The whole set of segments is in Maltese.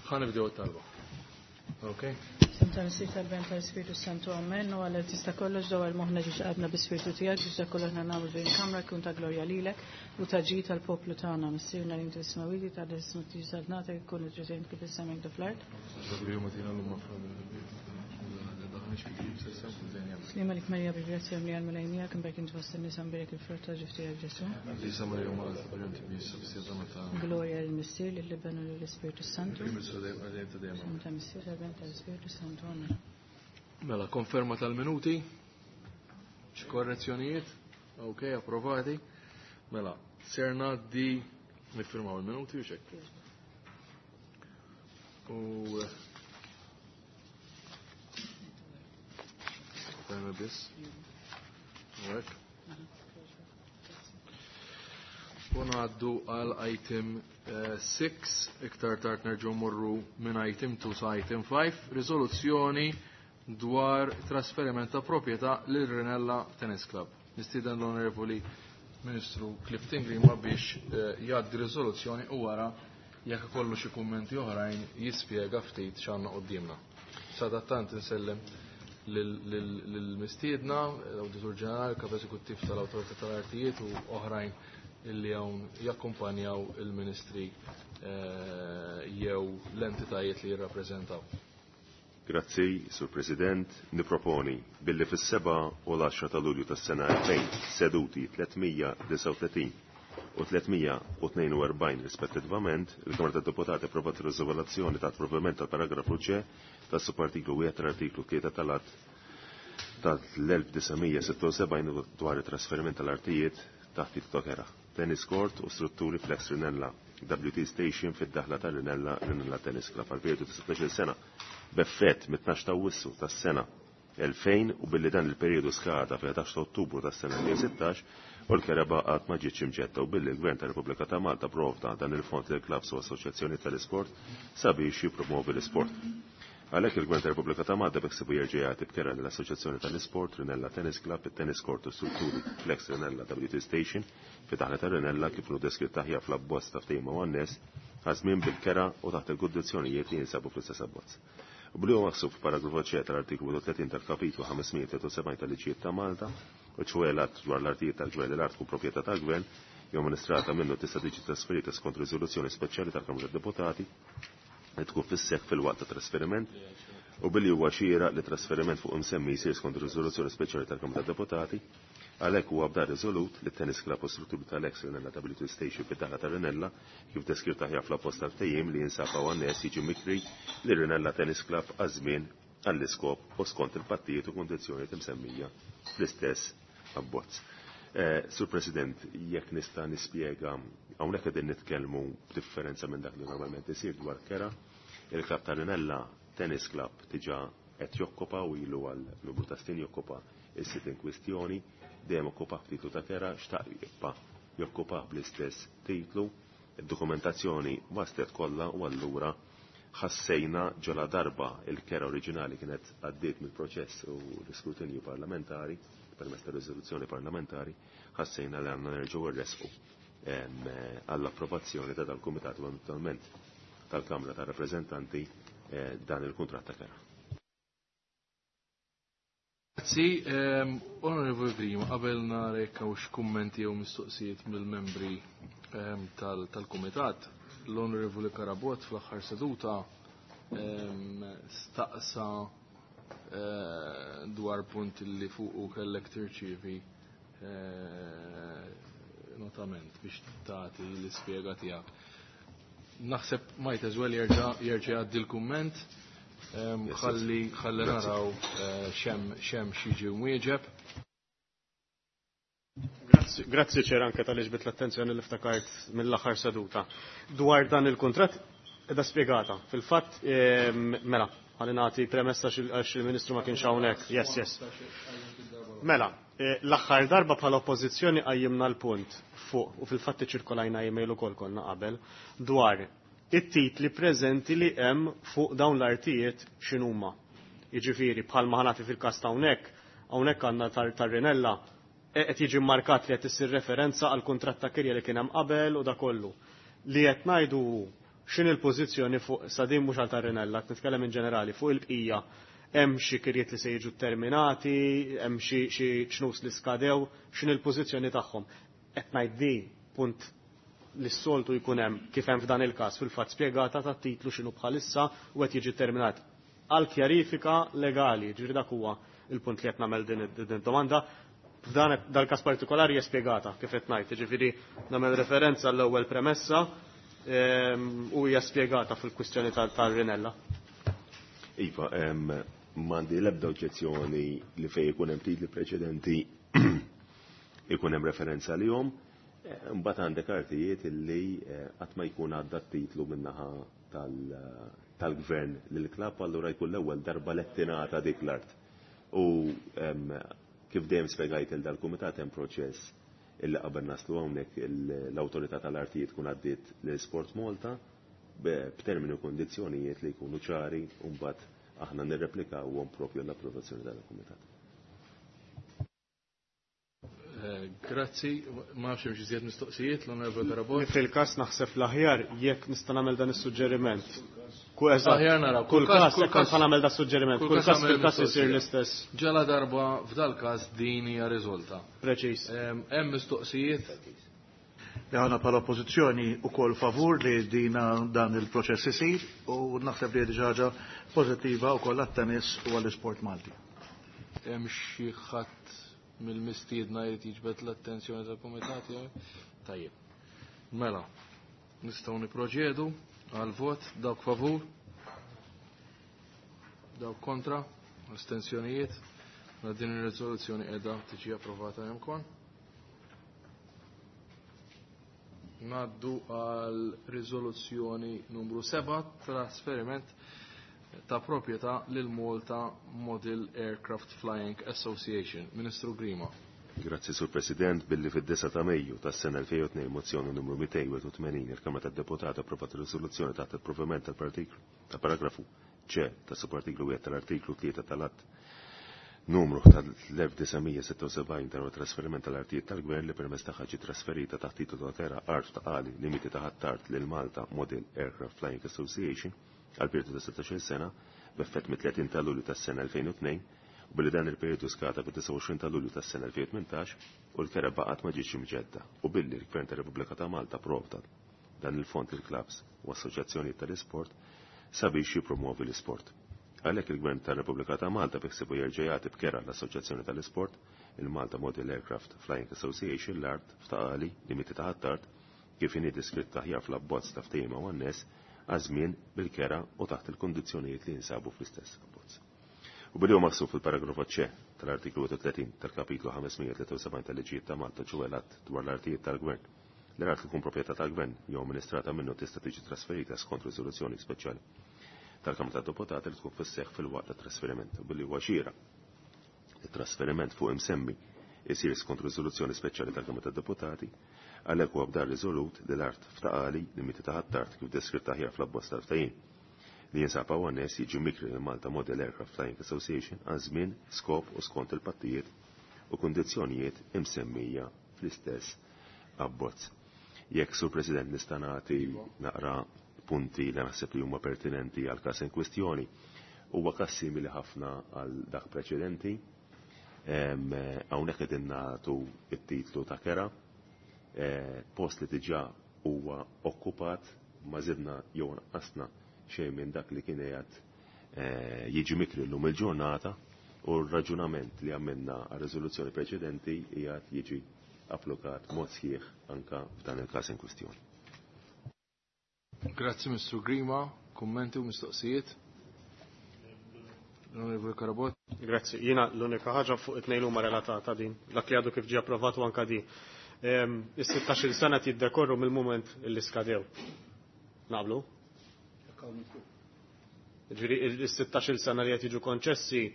Ħa nibdew it-talba. Okay? F'isem tal-Missier tal-Iben tal-Ispirtu Santu Amen. U Alla tista' kollox dawwar moħħna ġiex qalbna bi-Spirtu tiegħek biex dak kollu aħna nagħmlu f'din il-kamra jkun ta' glorja lilek u ta' ġid għall-poplu tagħna. Missierna li inti fis-smewwiet jitqaddes ismek tiġi saltnatek ikun it-trid kif fis-sema hekk fl-art. Sliem għalik Marija bil-grazzja mlija l-Mulej miegħek imbierek int fost in-nisa mbierek il-frott ta' ġuf tiegħek Ġesù. Glorja lill-Missier, lill-Iben u lill-Ispirtu Santu. Ta' Missier, tal-Iben tal-Ispirtu Santu. Amen. Mela, konferma tal-minuti, xi korrezzjonijiet, ok, approvati. Mela, ser ngħaddi niffirmaw il-minuti u xek. U Ferma biss. U hekk. U ngħaddu għal item 6, iktar tard nerġgħu morru minn item 2 sa item 5, riżoluzzjoni dwar trasferiment ta' proprjetà lil Rinella Tennis Club. Nistieden l-Onorevoli Ministru Clifton Grima biex jgħaddi riżoluzzjoni u wara jekk ikollu xi kummenti oħrajn jispjega ftit x'għandna quddiemna. Sadattant insellem lill-mistiedna, l-Awditur Ġenerali, Kap Eżekuttiv tal-Awtorità tal-Artijiet u oħrajn illi hawn jakkumpanjaw il-ministri jew l-entitajiet li jirrappreżentaw. Grazzi, Sur President. Niproponi billi fis-7 u l-10 ta' Lulju tas-sena 2000 seduti 339 u 342 rispettivament, il-Kamra tad-Deputati approvat ir-riżoluzzjoni ta' approvament tal-paragrafu C tas-subartiklu 1 tal-artiklu 3 tal-Att tal-1976 dwar it-trasferiment tal-artijiet taħt titlu ta' kera, tennis court u strutturi flex Rinella, WT Station fid-daħla ta' Rinella, Rinella Tennis Club għal periodu ta' 16 sena b'effett mit-12 ta' Awwissu tas-sena 2000 u billi dan il-periodu skada fil-11 ta' Ottubru tas-sena 2016 u l-kera baqgħet ma ġietx imġetta u billi l-Gvern tar-Repubblika ta' Malta provda dan il-fond lil clubs u assoċjazzjoni tal-isport sabiex jippromovi l-isport. Għalhekk il-Gvern tar-Repubblika ta' Malta beħsiebu jerġa' jagħti b'kera lill-Assoċjazzjoni tal-Isport Rinella Tennis Club, it-Tennis Court u strutturi Flex Rinella WT Station fi daħla ta' Rinella kif inhu deskritt aħjar fl-abbozz ta' ftehim u anness għaż-żmien bil-kera u taħt il-kundizzjonijiet li jinsabu fl-istess abbozz. U billi huwa maħsub f'paragrafu C tal-artiklu 31 tal-kapitlu 573 tal-Liġijiet ta' Malta, u ċoe l-att dwar l-artijiet tal-Gvern li l-art tkun proprjetà tal-Gvern jew amministrata minnu tista' tiġi trasferita skont riżoluzzjoni speċjali tal-Kamra tad-Deputati li tkun fis-seħħ fil-waqt ta' trasferiment u billi huwa xieraq li trasferiment fuq imsemmi jsir skont riżoluzzjoni speċjali tal-Kamra tad-Deputati, għalhekk huwa b'dan riżolut li t-tennis club u strutturi tal-ex Rinella WT Station fid-daħla ta' Rinella kif deskritt aħjar fl-abbozz tal-ftehim li jinsab hawn anness jiġi mikri li Rinella Tennis Club għaż-żmien għall-iskop u skont il-pattijiet u kundizzjonijiet imsemmija fl-istess abbozz. Sur President, jekk nista' nispjega hawnhekk qegħdin nitkellmu b'differenza minn dak li normalment isir dwar kera, il-klabb ta' Rinella Tennis Club diġà qed jokkupa u ilu għal numru ta' snin jokkupa is-sit in kwistjoni, dejjem okkupa b'titlu ta' kera, xtaq jibqa' jokkupa bl-istess titlu, id-dokumentazzjoni waslet kollha u allura ħassejna ġola darba il-kera oriġinali kienet għaddiet mill-proċess u l-iskrutinju parlamentari, permezz ta' riżoluzzjoni parlamentari, ħassejna li għandna nerġgħu rresqu għall-approvazzjoni ta' dal-Kumitat u eventualment tal-Kamra ta' Rappreżentanti dan il-kuntratt ta' kera. Grazzi, Onorevoli Grima, qabel narek hawn kummenti jew mistoqsijiet mill-membri tal-Kumitat, l-Onorevoli Karabot fl-aħħar seduta staqsa dwar punt li fuqu kellek tirċievi notament biex tagħti l-ispjega tiegħek. Naħseb might as well jerġa' jgħaddi l-kumment, ħalli ħalli naraw xem xiġi mwieġeb. Grazzi ċer anke tal-li ġbit l-attenzjoni li ftakart mill-aħħar seduta. Dwar dan il-kuntratt edha spjegata. Fil-fatt, mela, ħalli nagħti premessa għax il-Ministru ma kienx hawnhekk. Yes, yes. Mela, l-aħħar darba bħala oppożizzjoni qajjimna l-punt fuq u fil-fatt iċirkolajna email ukoll konna qabel dwar it-titli preżenti li hemm fuq dawn l-artijiet x'inhuma. Jiġifieri bħalma ħanati fil-każ ta' hawnhekk, hawnhekk għandna tar-Rinella qed jiġi mmarkat li qed issir referenza għal kuntratt ta' kirja li kien hemm qabel u da kollu. Li qed ngħidu X'inhi l-pożizzjoni fuq sa din mhux għal tar-Rinella, qed nitkellem in ġenerali fuq il-bqija hemm xi kirjiet li se jiġu terminati, hemm xi ċnus li skadew, x'inhi l-pożizzjoni tagħhom. Qed ngħid di punt li s-soltu jkun hemm kif hemm f'dan il-każ fil-fatt spjegata tat-titlu x'inhu bħalissa u qed jiġi terminat għal kjarifika legali, ġifieri dak huwa il-punt li qed nagħmel din id-domanda. F'dan dal-każ partikolari hija spjegata kif qed ngħid, jiġifieri nagħmel referenza l-ewwel premessa u hija spjegata fil-kwistjoni tal-Rinella. Iva, m'għandi l-ebda oġġezzjoni li fejn ikun hemm titli preċedenti ikun hemm referenza lihom. Mbagħad għandek artijiet illi qatt ma jkun għadda t-titlu min-naħa tal-gvern lill-klabb, allura jkun l-ewwel darba li tingħata dik l-art. U kif dejjem spjegajt il dal-kumitat hemm proċess illi qabel naslu hawnhekk l-awtorità tal-artijiet tkun għaddiet lil Sport Malta b'termini u kondizzjonijiet li jkunu ċari u mbagħad aħna nirreplikawhom propju l-approvazzjoni tal-kumitat. Grazzi, ma nafx hemm xi żjed mistoqsijiet l-Onorevole Carabott. Fil-każ naħseb l-aħjar jekk nista' nagħmel dan is-suġġeriment. Aħjar naraw. Kull każ, jekk nista' nagħmel dan suġġeriment, kull każ fil-każ isir l-istess. Ġala darba f'dal każ din hija riżolta. Preċiż. Hemm mistoqsijiet? Li aħna bħala oppożizzjoni wkoll favur li dina dan il-proċess isir u naħseb li diġà ħaġa pożittiva wkoll għat-tennis u għall-isport Malti. Hemm xi ħadd mill-mistiedna jrid jiġbed l-attenzjoni tal-kumitat jew? Tajjeb. Mela, nistgħu niproċedu għal vot dawk favur, dawk kontra, astensjonijiet. Mela din ir-riżoluzzjoni qiegħda tiġi approvata hemm kon. Naddu għal riżoluzzjoni numru 7, trasferiment ta' proprjetà lil Malta Model Aircraft Flying Association. Ministru Grima. Grazzi, Sur President, billi fid-9 ta' Mejju tas-sena 2002 mozzjoni numru 281 il-Kamra tad-Deputati approvat riżoluzzjoni taħt il-provvediment tal-partiklu ta' paragrafu C ta' subartiklu 1 tal-artiklu 3 tal-att numru tal-1976 dwar trasferiment tal-artijiet tal-Gvern li permezz tagħha ġiet trasferita taħt titolu ta' terra art ta' qali limiti ta' ħattart lil Malta Model Aircraft Flying Association għal periodu ta' 16 sena b'effett mit-30 ta' Lulju tas-sena 2002 u billi dan il-periodu skata bit-29 ta' Lulju tas-sena 2018 u l-kera baqgħet ma ġietx imġedda u billi l-Gvern tar-Repubblika ta' Malta provda dan il-fond il-klabs u assoċjazzjonijiet tal-isport sabiex jippromuovi l-isport. Għalhekk il-Gvern tar-Repubblika ta' Malta biħsibu jerġa' jagħti b'kera l-Assoċjazzjoni tal-Isport, il-Malta Model Aircraft Flying Association l-art f'taqali limiti ta' ħattart kif inhi deskritta aħjar fl-abbozz ta' ftehim għan-nies għaż-żmien bil-kera u taħt il-kundizzjonijiet li jinsabu fl-istess abbozz. U billi huwa maħsub fil-paragrafu C tal-artiklu 31 tal-kapitlu 573 tal-liġijiet ta' Malta ġewwa l-att dwar l-artijiet tal-Gvern. L-art li tkun proprjetà tal-Gvern jew amministrata minnu tista' tiġi trasferita skont riżoluzzjoni speċjali tal-Kamra tad-Deputati li tkun fis-seħħ fil-waqt tat-trasferiment u billi huwa xieraq it-trasferiment fuq imsemmi isir skont riżoluzzjoni speċjali tal-Kamra tad-Deputati, għalhekk huwa b'dar riżolut li l-art f'taqali limiti ta' ħattart kif deskritta aħjar fl-abbozz tal-ftehim li jinsab hawn nies jiġi mikri lil Malta Model Aircraft Flying Association għal żmien, skop u skont il-pattijiet u kundizzjonijiet imsemmija fl-istess abbozz. Jekk, Sur President, nista' nagħti naqra punti li naħseb li huma pertinenti għal każ in kwistjoni, huwa każ simili ħafna għal dak preċedenti. Hawnhekk qegħdin nagħtu t-titlu ta' kera, post li diġà huwa okkupat, ma żidna jew nqasna xejn minn dak li kien qiegħed jiġi mikri llum il-ġurnata u r-raġunament li għamilna għar-riżoluzzjoni preċedenti qiegħed jiġi applikat mod sħiħ anka f'dan il-każ in kwistjoni. Grazzi Mr. Grima, kummenti u mistoqsijiet. L-Onorevoli Carabott. Grazzi. Jiena l-unika ħaġa fuq it-tnejn huma relatata din, dak li għadu kif ġie approvat u anka di. Is-16-il sena jiddekorru mill-mument li skadew. Naqblu? Ġifieri is-16-il sena li qed jiġu konċessi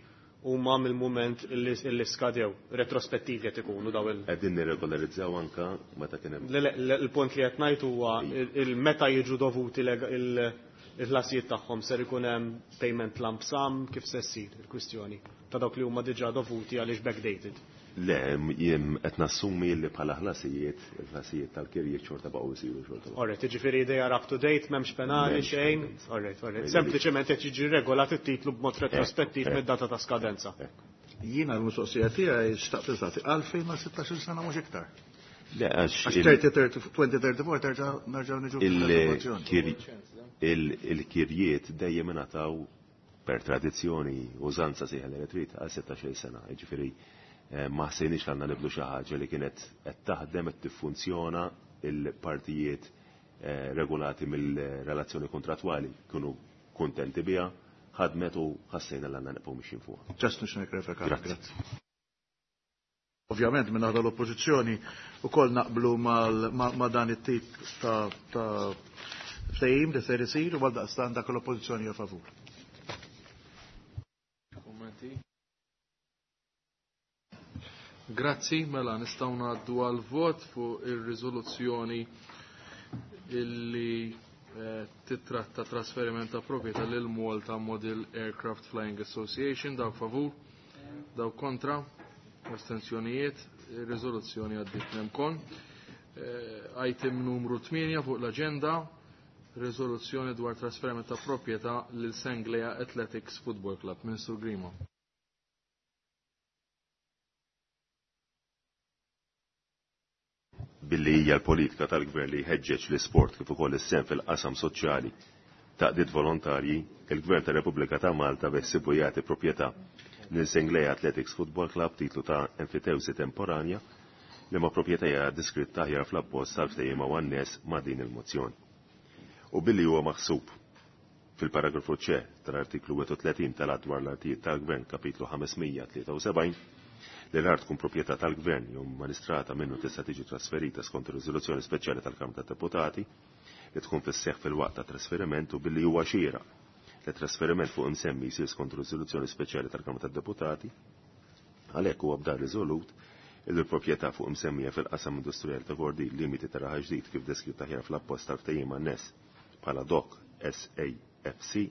huma mill-mument li skadew, retrospettivi qed ikunu daw il- Qegħdin nirregolarizzaw anka meta kien hemm. Le, il-punt li qed ngħid huwa il-meta jiġu dovuti il-ħlasijiet tagħhom ser ikun hemm payment lump sum kif se ssir il-kwistjoni ta' dawk li huma diġà dovuti għaliex backdated. Le, jien qed nassumi li bħala ħlasijiet, il-ħlasijiet tal-kirjiet xorta baqgħu jsiru xorta. Alright, jiġifieri they are up to date, m'hemmx penali xejn. Alright, alright. Sempliċement qed jiġi regolat it-titlu b'mod retrospettiv mid-data ta' skadenza. Jiena l-mistoqsija tiegħi xtaqt nistaqsi għalfejn ma 16 sena mhux iktar. Le, għax Għax 2034 terġa' nerġgħu niġu fis-sitwazzjoni. Il-kirjiet dejjem ingħataw per tradizzjoni użanza sejħa li trid għal 16 sena. Jiġifieri ma ħsejniex li għandna nibdlu xi ħaġa li kienet qed taħdem qed tiffunzjona il-partijiet regolati mill-relazzjoni kontrattwali kienu kuntenti biha, ħadmet u ħassejna li għandna nibqgħu mixjin fuqha. Just nix nikklarifikar. Grazzi. Grazzi. Ovvjament minn naħa l-oppożizzjoni ukoll naqblu ma' dan it-tip ta' ftehim li ser isir u għaldaqstant dak l-oppożizzjoni hija favur. Kummenti? Grazzi, mela nistgħu ngħaddu għal vot fuq ir-riżoluzzjoni illi titratta trasferiment ta' proprjetà lil Malta Model Aircraft Flying Association. Dawk favur, dawk kontra, astensjonijiet, ir-riżoluzzjoni għaddiet nemkon. Item numru 8 fuq l-aġenda, riżoluzzjoni dwar trasferiment ta' proprjetà lil Senglea Athletics Football Club. Ministru Grima. Billi hija l-politika tal-gvern li jħeġġeġ l-isport kif ukoll is-sehem fil-qasam soċjali taqdiet volontarji, il-Gvern tar-Repubblika ta' Malta beħsibu jagħti proprjetà lil Senglea Athletics Football Club titlu ta' enfitewsi temporanja li ma' proprjetà hija deskritta aħjar fl-abbozz tal-ftehim u annes ma' din il-mozzjoni. U billi huwa maħsub fil-paragrafu C tal-artiklu 31 tal-Att dwar l-Artijiet tal-Gvern kapitlu 573 li l-art tkun proprjetà tal-Gvern jew amministrata minnu tista' tiġi trasferita skont ir-riżoluzzjoni speċjali tal-Kamra tad-Deputati li tkun fis-seħħ fil-waqt ta' trasferiment u billi huwa xieraq li trasferiment fuq imsemmi jsir skont riżoluzzjoni speċjali tal-Kamra tad-Deputati, għalhekk huwa b'dan riżolut li l-proprjetà fuq imsemmija fil-qasam industrijali ta' Kordin limiti ta' Raħal Ġdid kif deskritta aħjar fl-appost tal-ftehim anness bħala DOC SAFC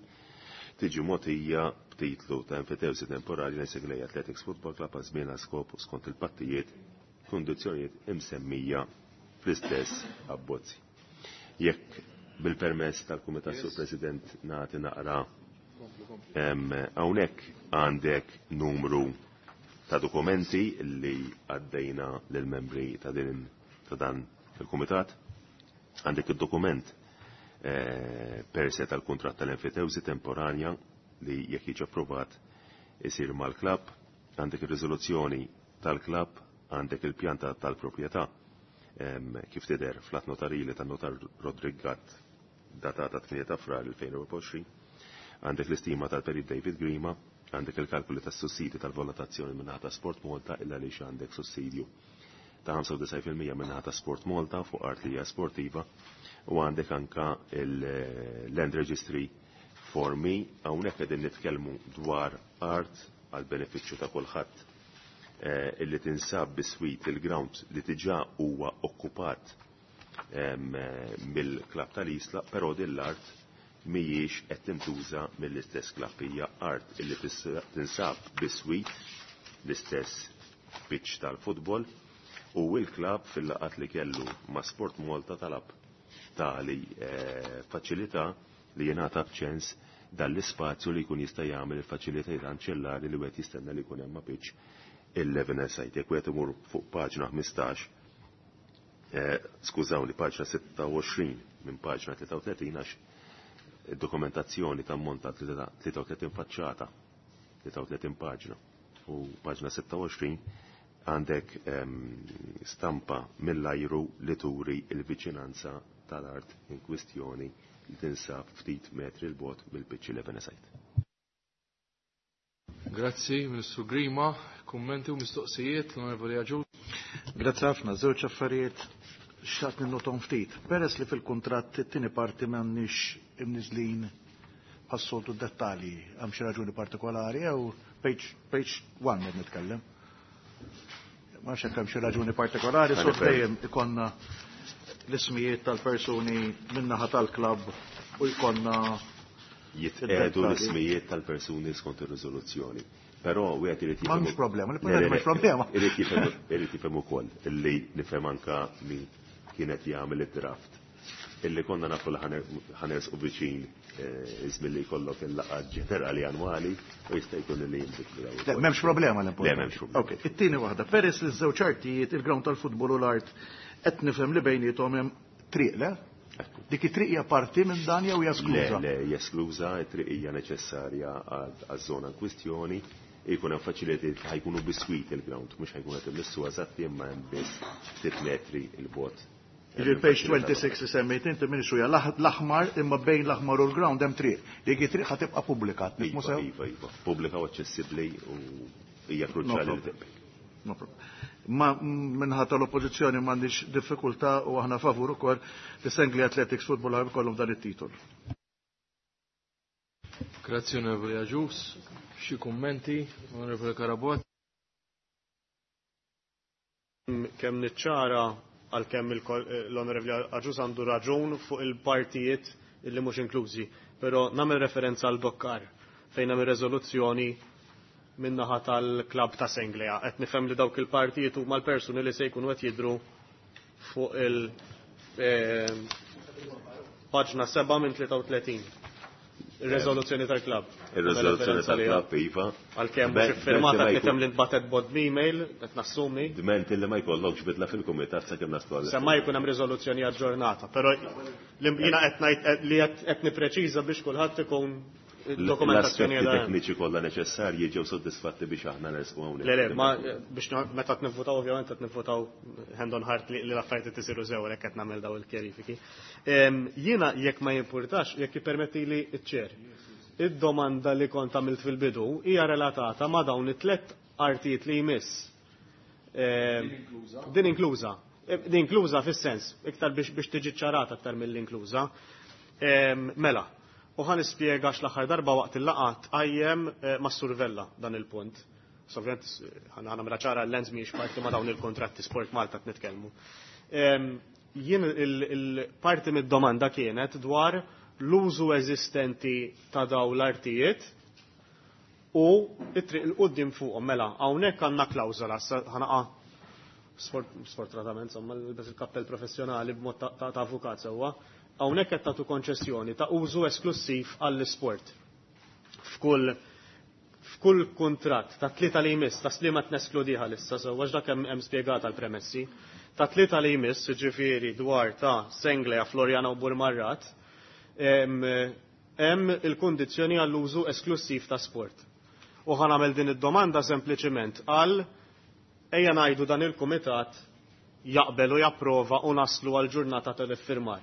tiġi mogħtija b'titlu ta' enfitewsi temporali lil Senglea Athletics Football Club għal żmien għal skop skont il-pattijiet kundizzjonijiet imsemmija fl-istess abbozzi. Jekk bil-permess tal-Kumitat Sur President nagħti naqra hawnhekk għandek numru ta' dokumenti li għaddejna lill-membri ta' din ta' dan il-Kumitat. Għandek id-dokument per se tal-kuntratt tal-enfitewsi temporanja li jekk jiġi approvat isir mal-klabb, għandek ir-riżoluzzjoni tal-klabb, għandek il-pjanta tal-proprjetà kif tidher fl-att notarili tan-notar Roderick Gatt datata 8 ta' Frar 2024, għandek l-istima tal-Perit David Grima, għandek il-kalkoli tas-sussidji tal-valutazzjoni min-naħa ta' Sport Malta illa għaliex għandek sussidju ta' 95% min-naħa ta' Sport Malta fuq art li hija sportiva u għandek anka il-Land Registry formi. Hawnhekk qegħdin nitkellmu dwar art għal benefiċċju ta' kulħadd illi tinsab biswit il-ground li diġà huwa okkupat mill-klabb tal-Isla, però din l-art mhijiex qed tintuża mill-istess klabb, hija art illi tinsab biswit l-istess pitch tal-futbol u l-klabb fil-laqat li kellu ma' Sport Malta talab tali faċilità li jingħata b'ċens dal-ispazju li jkun jista' jagħmel il-faċilitajiet anċellari li wieħed jistenna li jkun hemm ma' pitch il-11 site. Jekk wieħed imur fuq paġna 15, skużawni, paġna 26 minn paġna 33 għax id-dokumentazzjoni tammonta 33 faċċata, 33 paġna u paġna 26 għandek stampa mill-ajru li turi il-viċinanza tal-art in kwistjoni li tinsab ftit metri l-bot mill-pitch 11 site. Grazzi, Ministru Grima. Kummenti u mistoqsijiet, l-Onorevoli Agius. Grazzi ħafna, żewġ affarijiet xtaqt ninnotom ftit. Peress li fil-kuntratt it-tieni parti m'għandniex imniżlin bħas-soltu dettalji, hemm xi raġuni partikolari jew page 1 qed nitkellem. Ma nafx hekk hemm xi raġuni partikolari, Għalli sur fejn. dejjem ikonna l-ismijiet tal-persuni min-naħa tal-klabb u jkollna jitqedu id-dettalji. l-ismijiet tal-persuni skont ir-riżoluzzjoni. Però wieħed irid jifhem. M'hemmx problema, l-importanti m'hemmx problema. Irid jifhem ukoll illi nifhem anka min kienet jagħmel id-draft illi konna nafu li ħa nersqu viċin iż-żmien li jkollok il-laqgħa ġenerali annwali u jista' jkun li jinbidlu dawn. Le, m'hemmx problema l-importanti. Le, m'hemmx problema. Ok, it-tieni waħda, peress li ż-żewġ artijiet, il-ground tal-futbol u l-art qed nifhem li bejniethom hemm triq, le? Dik it-triq hija parti minn dan jew hija eskluża? Le, le, hija eskluża, it-triq hija neċessarja għaż-żona in kwistjoni, jkun hemm faċilitajiet li ħa jkunu biswit il-ground, mhux ħa jkun qed immissu eżatti imma hemm biss ftit metri 'l bogħod. Jiġifieri page 26 li semmejt inti m'iniex hija l-aħmar imma bejn l-aħmar u l-ground hemm triq. Dik it-triq ħa tibqa' pubblika, nifhmu sew? Iva, iva, pubblika u aċċessibbli u hija kruċjali li tibqa'. No problem. Ma minħa tal-oppożizzjoni m'għandix diffikultà u aħna favur ukoll li Senglea Athletics Football Club ikollhom dan it-titol. Grazzi Onorevoli Agius. Xi kummenti, Onorevoli Carabott? Kemm niċċara għalkemm l-Onorevoli Agius għandu raġun fuq il-partijiet illi mhux inklużi, però nagħmel referenza għal Dokkar fejn hemm ir-reżoluzzjoni min-naħa tal-klabb ta' Senglea. Qed nifhem li dawk il-partijiet huma l-persuni li se jkunu qed jidhru fuq il- paġna 7 minn 33. Ir-reżoluzzjoni tal-klabb. Ir-reżoluzzjoni tal-klabb, iva. Għalkemm mhux iffirmata qed nifhem li ntbagħtet bod email, qed nassumi. Dment illi ma jkollokx bidla fil-kumitat sakemm naslu għal. Semma jkun hemm riżoluzzjoni aġġornata, però jiena qed ngħid li qed nippreċiża biex kulħadd ikun Dokumentazzjoni għal. tekniċi kollha neċessarji ġew soddisfatti biex aħna nersqu hawnhekk. Le, le, ma biex meta qed ovvjament qed nivvutaw hand on heart li l-affarijiet isiru sew hekk qed nagħmel daw il-kjarifiki. Jiena jekk ma jimpurtax, jekk jippermetti li ċ-ċer. Id-domanda li kont għamilt fil-bidu hija relatata ma' dawn it-tlet artijiet li jmiss. Din inkluża. Din inkluża fis-sens, iktar biex tiġi ċarata aktar mill-inkluża. Mela, u ħa nispjega l-aħħar darba waqt il-laqgħa tqajjem mas-Sur Vella dan il-punt. Ovvjament ħa nagħmilha ċara l-lens mhijiex parti ma' dawn il-kontratti Sport Malta qed nitkellmu. Jien il-parti mid-domanda kienet dwar l-użu eżistenti ta' daw l-artijiet u it-triq il-qoddim fuqhom mela hawnhekk għandna klawżola ħa naqa' sfortunatament insomma nilbes il-kappell professjonali b'mod ta' avukat sewwa. Hawnhekk qed tagħtu konċessjoni ta' użu esklusiv għall-isport. F'kull f'kull kuntratt ta' tlieta li jmiss, ta' Sliema tneskludiha issa sewwa għax dak hemm spjegata l-premessi, ta' tlieta li jmiss, jiġifieri dwar ta' Senglea, Floriana u Burmarrat, hemm il-kundizzjoni għall-użu esklusiv ta' sport. U ħa nagħmel din id-domanda sempliċiment għal ejja ngħidu dan il-kumitat jaqbel u japprova u naslu għal ġurnata tal-iffirmar.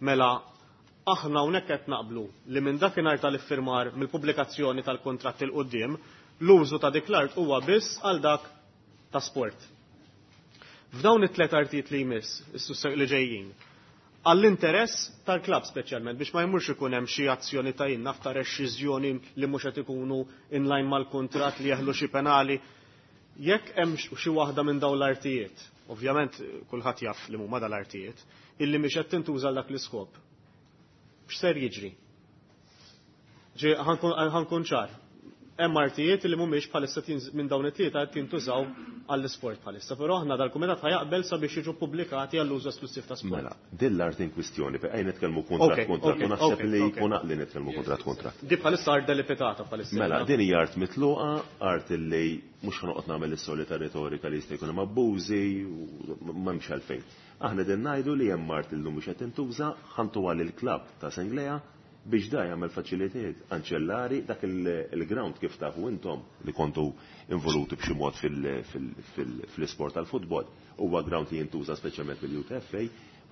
Mela, aħna hawnhekk qed naqblu li minn dakinhar tal-iffirmar mill-pubblikazzjoni tal-kuntratt il quddiem l-użu ta' dik l-art huwa biss għal dak ta' sport. F'dawn it-tlet artijiet li jmiss, li ġejjin, għall-interess tal-klabb speċjalment biex ma jmurx ikun hemm xi azzjoni ta' jien naf ta' rexxiżjoni li mhux qed ikunu in line mal-kuntratt li jeħlu xi penali. Jekk hemm xi waħda minn dawn l-artijiet, ovvjament kulħadd jaf li huma dal-artijiet, illi mhix qed tintuża dak l-iskop. X'ser jiġri? Ġi ħa nkun ċar. Hemm artijiet li mhumiex bħalissa minn dawn it-tlieta qed jintużaw għall-isport bħalissa, però aħna dal-kumitat ħa jaqbel sabiex jiġu pubblikati għall-użu esklusiv ta' sport. Mela, din l-art in kwistjoni, ejja nitkellmu kuntratt kuntratt u naħseb li jkun għaqli nitkellmu kuntratt kuntratt. Di bħalissa art delipitata bħalissa. Mela, din hija art mitluqa, art li mhux ħa noqgħod nagħmel is-solita retorika li jista' jkun hemm abbużi u m'hemmx għalfejn. Aħna din ngħidu li hemm art illum mhux qed tintuża, ħa ntuha lill-klabb ta' Senglea biex da jagħmel faċilitajiet anċellari dak il-ground kif tafu intom li kontu involuti b'xi mod fil-isport tal-futbol. Huwa ground li jintuża speċjalment mill-UTFA,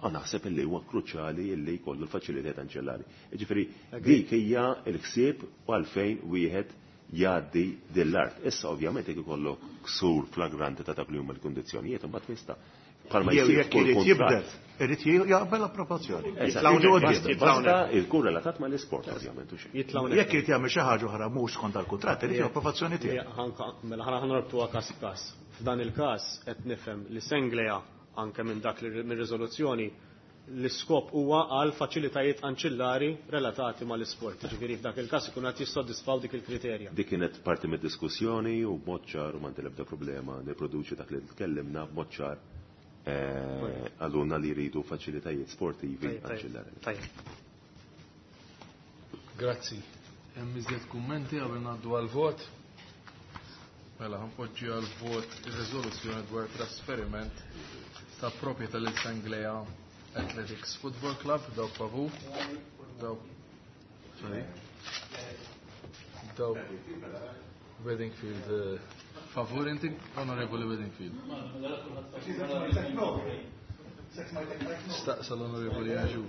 għan naħseb li huwa kruċjali li jkollu l-faċilitajiet anċellari. Jiġifieri dik hija l-ħsieb u għalfejn wieħed jgħaddi din l-art. Issa ovvjament jekk ikollok ksur flagranti ta' dak li huma l-kundizzjonijiet, imbagħad tista' bħalma Jew jsir jekk f'kull irid kuntratt. jibdel, irid jaqbel approvazzjoni. Eżatt. Jiġu Basta, quddiem. basta jkun relatat mal-isport ovvjament u xejn. Jitlgħu Jekk irid jagħmel xi ħaġa oħra mhux skont dal-kuntratt, irid approvazzjoni tiegħu. Mela ħana ħanorbtuha każ b'każ. F'dan il-każ qed nifhem li Senglea anke minn dak li mir-riżoluzzjoni L-iskop huwa għal faċilitajiet anċillari relatati mal-isport. Ġifieri f'dak il-każ ikun qed jissodisfaw dik il-kriterja. Dik kienet parti mid-diskussjoni u b'mod ċar u m'għandi l-ebda problema nipproduċi dak li tkellimna b'mod ċar għaluna li jridu faċilitajiet sportivi anċillari. Grazzi. Hemm iżjed kummenti qabel ngħaddu għall-vot. Mela ħanpoġġi għall-vot ir-riżoluzzjoni dwar trasferiment ta' proprjetà lil Senglea Athletics Football Club, dawk favur, dawk sorry. Dawk Weddingfield favur inti, Onorevoli Weddingfield. Staqsa l-Onorevoli Aġu.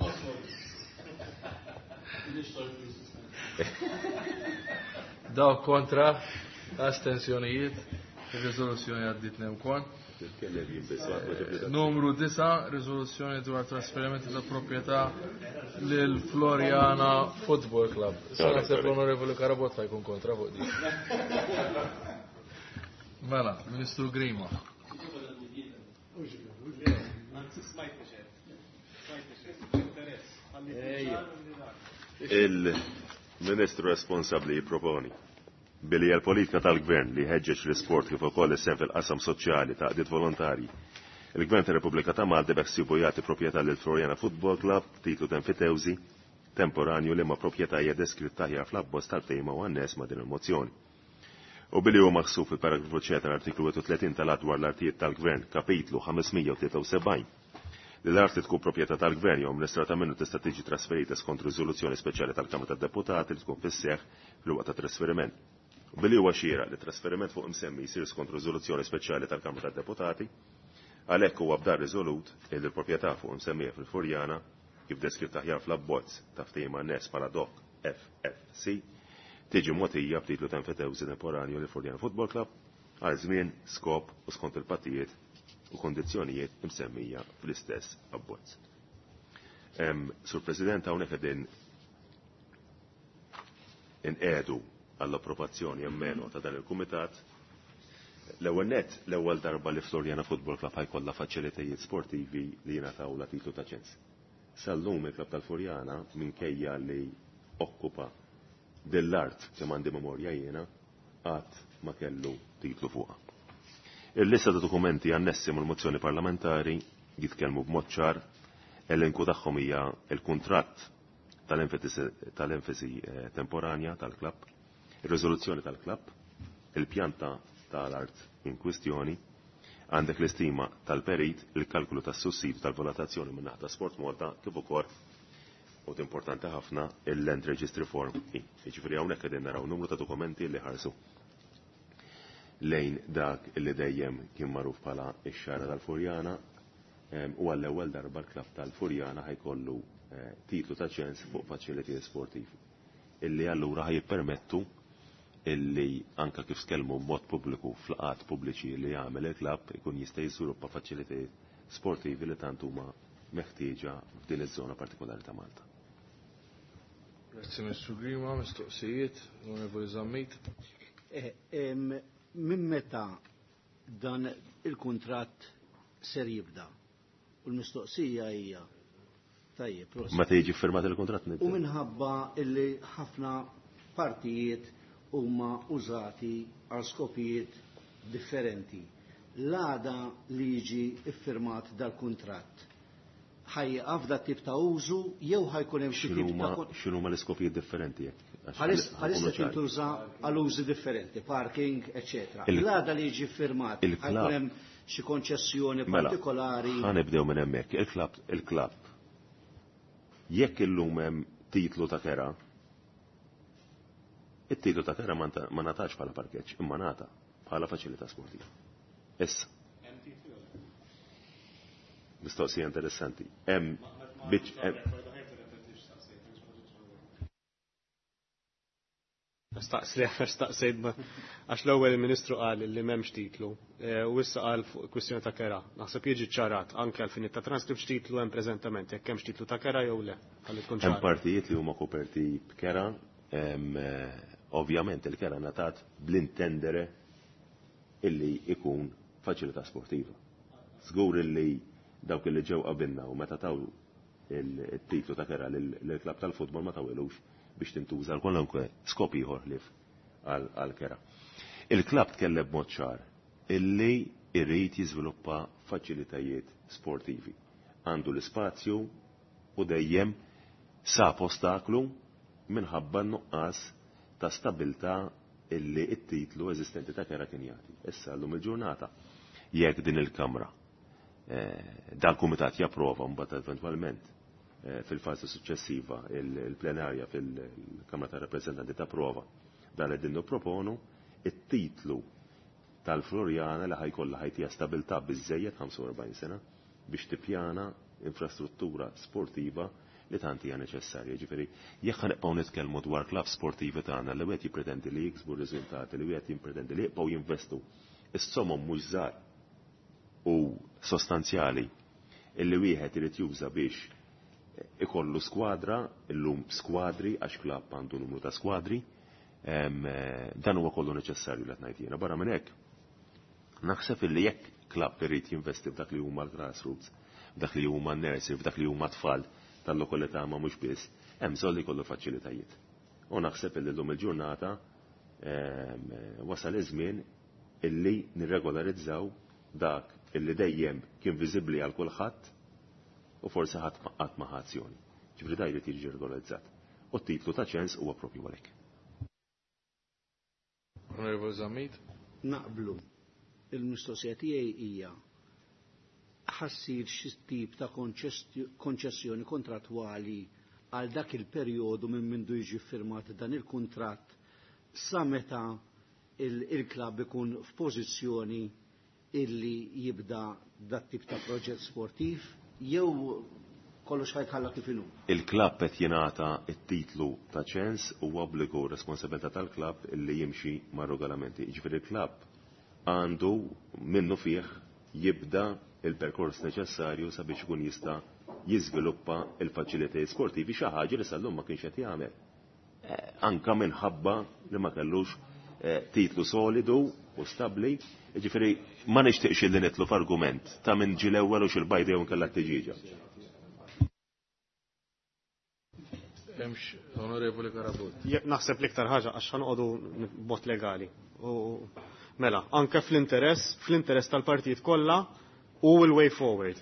Dawk kontra, astensjonijiet, ir-riżoluzzjoni għaddiet wkoll. Numru 9, riżoluzzjoni dwar trasferimenti ta' proprjetà lil Floriana Football Club. Issa naħseb l-Onorevoli Karabotta jkun kontra fuq din. Mela, Ministru Grima. Il-Ministru responsabbli jipproponi billi hija l-politika tal-Gvern li jħeġġeġ l-isport kif ukoll is-sehem fil-qasam soċjali ta' qdiet volontarji. Il-Gvern tar-Repubblika ta' Malta beħsiebu jagħti proprjetà lil Floriana Football Club titlu tenfitewżi temporanju li ma proprjetà hija deskritta aħjar fl-abbozz tal-ftehim u anness ma' din il-mozzjoni. U billi huwa maħsub fil-paragrafu C tal-artiklu 31 tal-Att dwar l-Artijiet tal-Gvern, kapitlu 573, li l-art li tkun proprjetà tal-Gvern jew amministrata minnu tista' tiġi trasferita skont riżoluzzjoni speċjali tal-Kamra tad-Deputati li tkun fis-seħħ fil-waqt tat-trasferiment. U billi huwa xieraq li trasferiment fuq imsemmi jsir skont riżoluzzjoni speċjali tal-Kamra tad-Deputati, għalhekk huwa b'dar riżolut li l-proprjetà fuq imsemmija fil-Furjana, kif deskritt aħjar fl-abbozz ta' ftehim anness bħala dok FFC, tiġi mogħtija b'titlu ta' enfitewżi temporanju lil Furjana Football Club għal żmien, skop u skont il-pattijiet u kondizzjonijiet imsemmija fl-istess abbozz. Sur President, hawnhekk qegħdin inqegħdu għall-approvazzjoni emmeno ta' dan il-kumitat. L-ewwel nett, l-ewwel darba li Floriana Football Club ħajkollha faċilitajiet sportivi li jingħataw la titlu ta' ċens. Sal-lum il-klabb tal-Furjana minkejja li okkupa dell-art kemm għandi memorja jiena qatt ma kellu titlu fuqha. Il-lista ta' dokumenti annessi mal-mozzjoni parlamentari jitkellmu b'mod ċar, elenku tagħhom hija l-kuntratt tal-enfasi temporanja tal-klabb, ir-riżoluzzjoni tal-klabb, il-pjanta tal-art in kwistjoni, għandek l-istima tal-perit, il-kalkulu tas-sussidju tal-valutazzjoni minn naħa ta' Sport Malta, kif ukoll u importanti ħafna il-Land Registry Form E. Jiġifieri hawnhekk qegħdin naraw numru ta' dokumenti li ħarsu lejn dak li dejjem kien magħruf bħala x-xara tal-Furjana u għall-ewwel darba l-klabb tal-Furjana ħajkollu titlu ta' ċens fuq faċilitajiet sportivi illi allura ħajjippermettu illi anka kif skellmu b'mod pubbliku fl-qat pubbliċi li jagħmel il-klabb ikun jista' jiżviluppa faċilitajiet sportivi li tant huma meħtieġa f'din iż-żona partikolari ta' Malta. Grazzi Mr. Grima, mistoqsijiet, Onorevoli Zammit. Minn meta dan il-kuntratt ser jibda? U l-mistoqsija hija tajjeb, prosit. Meta jiġi firmat il-kuntratt nibda. U minħabba illi ħafna partijiet huma użati għal skopijiet differenti. L-għada li jiġi iffirmat dal-kuntratt, ħajqaf da tip ta' użu jew ħajkun hemm xi tip ta' X'inhuma l-iskopijiet differenti jekk? Bħalissa tintuża għal użi differenti, parking, eċetera. L-għada li jiġi firmat, ħajkun hemm xi konċessjoni partikolari. Ħa nibdew minn hemmhekk. Il-klabb. Jekk illum hemm titlu ta' kera, it-titlu ta' kera ma ngħatax bħala parkeġġ, imma ngħata bħala faċilità sportiva. Issa. Mistoqsija interessanti. Hemm Staqsejt għax l-ewwel il-Ministru qal li m'hemmx titlu u issa qal fuq kwistjoni ta' kera. Naħseb jiġi ċarat anke għal finit ta' transkript x'titlu hemm preżentament, jekk hemmx titlu ta' kera jew le. Ħalli tkun Hemm partijiet li huma koperti b'kera, ovvjament il-kera ngħatat bl-intendere illi ikun faċilità sportiva. Żgur illi dawk illi ġew qabilna u meta taw il-titlu ta' kera lill-klabb tal-futbol ma tawelux biex tintuża għal kwalunkwe skop ieħor ħlief għal kera. Il-klabb tkellem b'mod ċar illi irrid jiżviluppa faċilitajiet sportivi. Għandu l-ispazju u dejjem sab ostaklu minħabba nuqqas ta' stabilta illi it-titlu eżistenti ta' kera kien jagħti. Issa llum il-ġurnata jekk din il-Kamra dal-Kumitat japprova mbagħad eventwalment fil-fażi suċċessiva il-plenarja fil-Kamra ta' Rappreżentanti tapprova dan li qegħdin nipproponu, it-titlu tal-Floriana li ħajkollha ħajtija stabilta biżejjed 45 sena biex tippjana infrastruttura sportiva li tant hija neċessarja. Ġifieri, jekk ħanibqgħu nitkellmu dwar klabb sportivi tagħna li wieħed jippretendi li jiksbu r-riżultati, li wieħed jippretendi li jibqgħu jinvestu is-somom mhux żgħar u sostanzjali illi wieħed irid juża biex ikollu skwadra, illum skwadri għax klabb għandu numru ta' skwadri, dan huwa kollu neċessarju li qed ngħid jiena. Barra minn hekk, naħseb illi jekk klabb irid jinvesti f'dak li huma l-grassroots, f'dak li huma n-nursery, f'dak li huma tfal tal-lokalità ma mhux biss, hemm bżonn li jkollu faċilitajiet. U naħseb illi llum il-ġurnata wasal iż-żmien illi nirregolarizzaw dak illi dejjem kien viżibbli għal kulħadd u forsi ħadd qatt ma ħa azzjoni. Ġifieri da jrid jiġi regolarizzat. U t-titlu ta' ċens huwa propju għalhekk. Onorevole Zammit. Naqblu. Il-mistoqsija tiegħi hija ħassir xi tip ta' konċessjoni kontrattwali għal dak il-perjodu minn mindu jiġi firmat dan il-kuntratt sa meta il-klabb ikun f'pożizzjoni illi jibda dat tip ta' proġett sportiv jew kollox ħajtħalla kif inhu. Il-klabb qed jingħata t-titlu ta' ċens u obbligu responsabilità tal-klabb illi jimxi mar-regolamenti. Jiġifieri il-klabb għandu minnu fih jibda il-perkors neċessarju sabiex ikun jista' jiżviluppa il-faċilitajiet sportivi xi ħaġa li sal-lum ma kienx qed jagħmel. Anka minħabba li ma kellux titlu solidu u stabbli, jiġifieri ma nixtieqx li nitlu f'argument ta' min ġie l-ewwel u x'il-bajda jew inkella t-tiġieġa. Hemmx Onorevoli Carabott. Naħseb l-iktar ħaġa għax ħanqodu b'mod legali. U mela, anke fl-interess, fl-interess tal-partijiet kollha u l-way forward.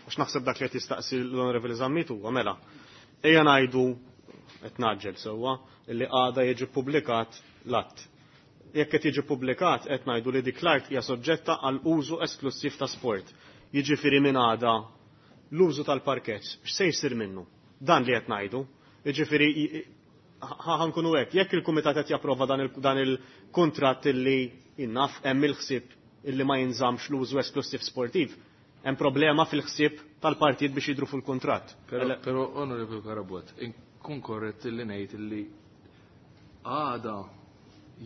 Għax naħseb dak li qed jistaqsi l-Onorevoli Zammit huwa mela. Ejja ngħidu qed naġġel sewwa li għada jiġi ppubblikat l-att. Jekk qed jiġi ppubblikat qed ngħidu li dik l-art hija soġġetta għal użu esklusiv ta' sport. Jiġifieri minn għada l-użu tal-parkeġġ x'se jsir minnu? Dan li qed ngħidu. Jiġifieri ħankunu hekk, jekk il-kumitat qed japprova dan il-kuntratt illi innaf hemm il-ħsieb illi ma jinżamx l-użu esklusiv sportiv, hemm problema fil-ħsieb tal-partijiet biex jidru fil-kuntratt. Però Onorevoli Carabott, inkun korrett illi ngħid illi għada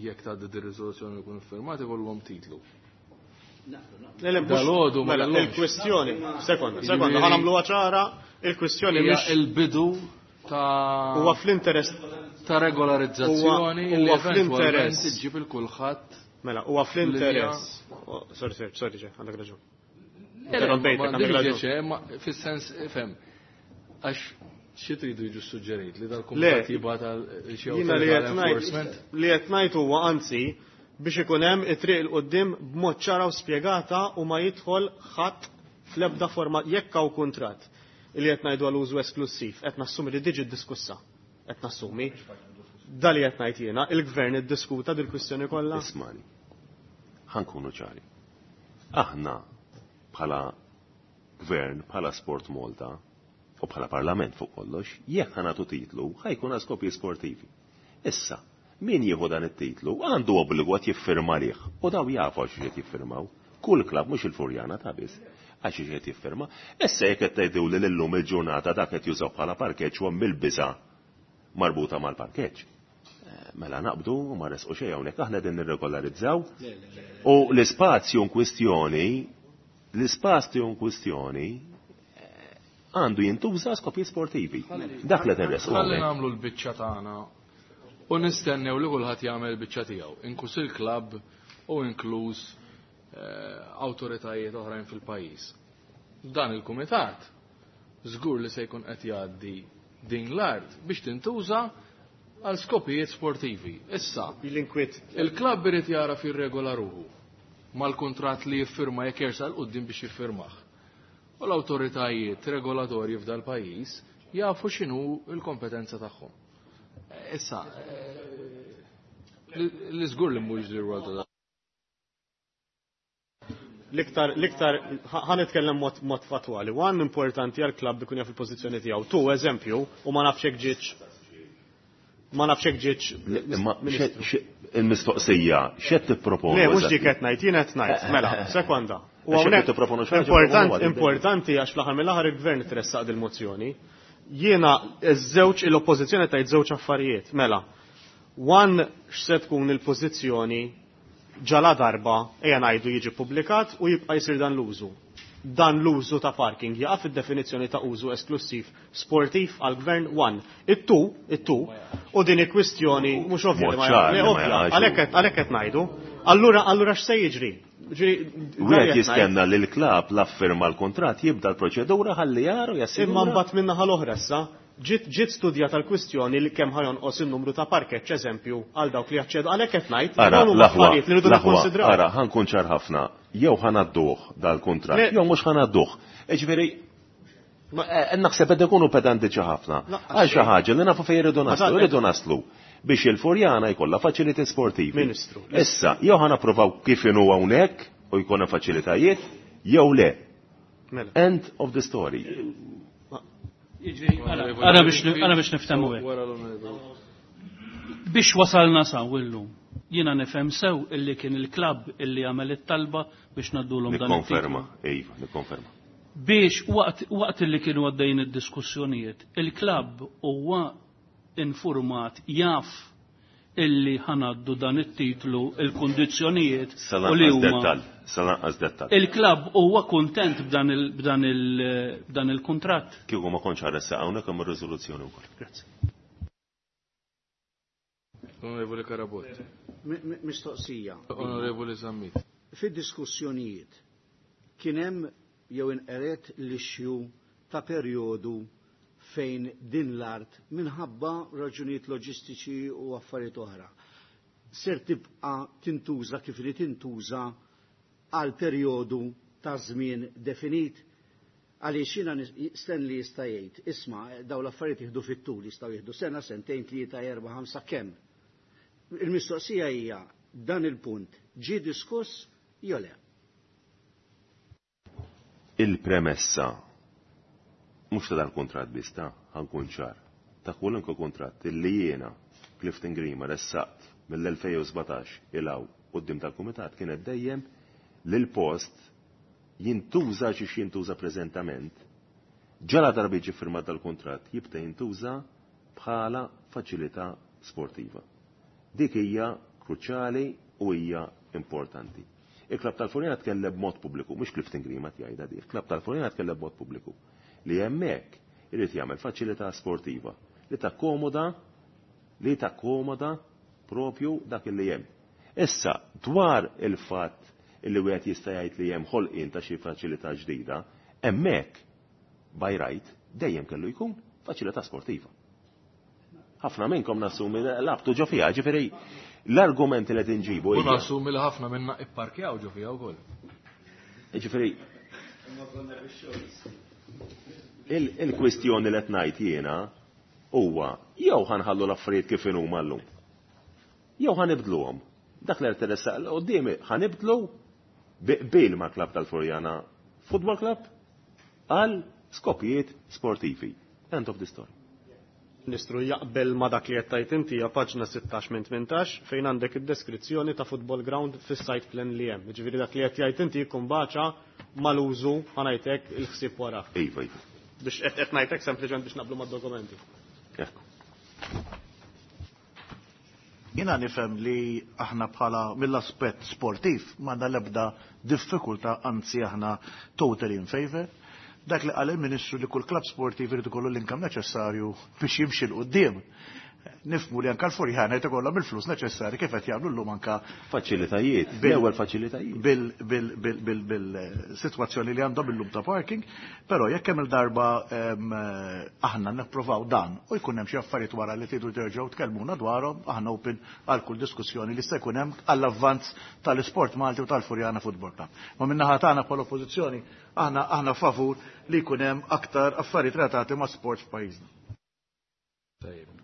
jekk tgħaddi dir riżoluzzjoni jkun iffirmat ikollhom titlu. Le, mhux- Dal-għodu ma mela, kellhomx. il-kwestjoni, sekonda, sekonda, ħa nagħmluha ċara, il-kwestjoni Hija mhix il-bidu ta' huwa fl-interess ta' regolarizzazzjoni Huwa- li huwa eventwalment fl-interess. iġġib il kulħadd. Mela, huwa fl-interess. Oh, sorry, sorry, sorry, ġe, għandek raġun. Interrompejtek, għandek raġun. Ma fis-sens, fem, għax xi tridu jiġu suġġerit li dal-kumitat Le, jibgħat għal xi Jiena li awtorità qed ngħid enforcement? li qed ngħid huwa anzi biex ikun hemm it-triq il quddiem b'mod ċara u spjegata u ma jidħol ħadd fl-ebda forma jekk hawn kuntratt li qed ngħidu għal użu esklusiv, qed nassumi li diġi diskussa. Qed nassumi. Da li qed ngħid jiena, il-gvern iddiskuta dil-kwistjoni kollha. Ismani, ħankunu ċari. Aħna bħala gvern, bħala Sport Malta u bħala Parlament fuq kollox, jekk ħanatu titlu, ħajkun għal skopi sportivi. Issa, min jieħu dan it-titlu għandu obbligu għad jiffirma lih u daw jafu għax qed jiffirmaw. Kull klabb mhux il-Furjana ta' biss, għax qed jiffirma. Issa jekk qed tgħidu li llum il-ġurnata dak qed jużaw bħala parkeġġ u hemm il-biża' marbuta mal-parkeġġ. Mela naqbdu u ma resqu xejn hawnhekk aħna din nirregolarizzaw. U l-ispazju in kwistjoni, l-ispazju in kwistjoni għandu jintuża skopi sportivi. Dak li tinresqu Ħalli hawnhekk. nagħmlu l-biċċa tagħna u nistennew li kulħadd jagħmel il-biċċa tiegħu, inkluż il-klabb u inkluż awtoritajiet oħrajn fil-pajjiż. Dan il-kumitat żgur li se jkun qed jgħaddi din l-art biex tintuża għal skopijiet sportivi. Issa, L-inkwiet il-klabb irid jara fir-regola ruħu mal-kuntratt li jiffirma jekk jersaq 'l quddiem biex jiffirmah. U l-awtoritajiet regolatorji f'dal pajjiż jafu x'inhu l-kompetenza tagħhom. Issa, li żgur li mhux li rwol ta' L-iktar, l-iktar, ħa nitkellem mod, mod fatwali. One importanti għal klabb ikun jaf il-pożizzjoni tiegħu. Tu, eżempju, u ma nafx hekk ġietx ma nafx hekk ġietx Imma il-mistoqsija, x'qed tipproponu? Le, mhux dik qed ngħid, jien qed ngħid, mela, sekonda. U Għax jekk hawnhekk tipproponu xi ħaġa, important, proponu importanti għax fl-aħħar mill-aħħar il-gvern tressaq dil-mozzjoni. Jiena ż-żewġ l-oppożizzjoni tajt żewġ affarijiet, mela. One x'se tkun il-pożizzjoni ġala darba ejja ngħidu jiġi publikat u jibqa' jsir dan l-użu. Dan l-użu ta' parking jaqa' fid-definizzjoni ta' użu esklusiv sportiv għal-gvern one. It-two, it-two, u din il-kwistjoni mhux ovvja li ma Mod ċar li le, ma ovvja, jaqax. għalhekk qed ngħidu. Allura allura x'se jiġri? Ġifieri, Wieħed dan qed jistenna li l-klabb l-affirma l-kuntratt jibda l-proċedura ħalli jaru ngħid. jassigura. Imma mbagħad min-naħa l-oħra issa ġiet ġiet studjata l-kwistjoni li kemm ħajonqos in-numru ta' parkeġġ eżempju għal dawk li jaċċedu għalhekk qed ngħid Ara, dawn huma l-aħwa, affarijiet li rridu l-aħwa, nikkonsidraw. ara, ħankun ċar ħafna. Jew ħanadduh dal-kuntratt, Le. jew mhux ħanadduh. Ġifieri, naħseb qed ikunu pedantiċi ħafna. Laqqas Għal xi xejn. ħaġa li nafu fejn irridu Ma naslu, ta' irridu naslu biex il-Furjana jkollha faċiliti sportivi. Ministru. Issa, jew ħanapprovaw kif inhu hawnhekk u jkollna faċilitajiet, jew le. Mela. End of the story. Ara biex ara biex niftehmu hekk. Wara l-onorevoli. Biex wasalna saw illum. Jiena nifhem sew illi kien il-klabb illi għamel it-talba biex naddulhom dan it-titlu. Nikkonferma, iva, nikkonferma. Biex waqt waqt illi kienu għaddejjin id-diskussjonijiet, il-klabb huwa informat jaf illi ħanaddu dan it-titlu, il-kundizzjonijiet u li Salanqas huma. dettal, salanqas dettal. Il-klabb huwa kuntent b'dan il- b'dan il- b'dan il-kuntratt. Kieku ma kontx ħaressa hawnhekk hemm ir-riżoluzzjoni wkoll. Grazzi. Onorevoli Karabot. Mistoqsija. Onorevoli Zammit. Fid-diskussjonijiet kien hemm jew inqeret l-issue ta' perjodu fejn din l-art minħabba raġunijiet loġistiċi u affarijiet oħra. Ser tibqa' tintuża kif li tintuża għal perjodu ta' żmien definit għaliex jiena Stanley jista' jgħid, isma' dawn l-affarijiet jieħdu fit-tul, jistgħu jieħdu sena, sentejn, tlieta, erba', ħamsa, kemm. Il-mistoqsija hija dan il-punt ġie diskuss jew le? Il-premessa mhux ta' dal-kuntratt biss ta' ħankun ċar. Ta' kwalunkwe kuntratt illi jiena Clifton Grima ressaqt mill-2017 ilaw quddiem tal-kumitat kienet dejjem li l-post jintuża xi jintuża preżentament ġala darba jiġi firmat dal-kuntratt jibda jintuża bħala faċilità sportiva. Dik hija kruċjali u hija importanti. Il-Klabb tal-Furjana tkellem b'mod pubbliku, mhux Clifton Grima jgħidha di, il-Klabb tal-Furjana tkellem b'mod pubbliku li hemmhekk irid jagħmel faċilità sportiva li takkomoda li takkomoda propju dak li hemm. Issa, dwar il-fatt illi wieħed jista' jgħid li hemm ħolqien ta' xi faċilità ġdida, hemmhekk by right dejjem kellu jkun faċilità sportiva. Ħafna minnkom nassumi labtu ġo fiha, ġifieri l-argumenti li qed inġibu U hija. nassumi li ħafna minna ipparkjaw ġo fiha wkoll. Ġifieri il-kwistjoni li qed ngħid jiena huwa jew ħanħallu l-affarijiet kif inhuma llum. Jew ħanibdluhom. Dak li qed teressaq 'l qudiem ħanibdlu bi qbil ma' klabb tal-Furjana Football Club għal skopijiet sportivi. End of the story. Ministru jaqbel ma dak li qed tgħid inti hija paġna 16 minn 18 fejn għandek id-deskrizzjoni ta' football ground fis-site plan li hemm. Jiġifieri dak li qed jgħid inti jkun baċa mal-użu ħa ngħidlek il-ħsieb wara. Iva, iva. Biex qed qed ngħidlek sempliċement biex naqblu mad-dokumenti. Ekku. Jina nifhem li aħna bħala mill-aspett sportiv m'għandna l-ebda diffikultà, anzi aħna totally in favor. Dak li qal il-Ministru li kull klabb sportiv irid ikollu l-income neċessarju biex jimxi 'l quddiem. Nifhmu li anka l-Furjana jrid ikollhom il-flus neċessarji kif qed jagħmlu llum anka Faċilitajiet, l-ewwel faċilitajiet. Bil-sitwazzjoni li għandhom illum ta' parking, però jekk hemm il-darba aħna nipprovaw dan u jkun hemm xi affarijiet wara li tridu terġgħu tkellmuna dwarhom, aħna open għal kull diskussjoni li se jkun hemm għall-avvanz tal-isport Malti u tal-Furjana Football Club. Ma min-naħa tagħna bħala oppożizzjoni aħna favur li jkun hemm aktar affarijiet relatati ma' sport f'pajjiżna. Tajjeb.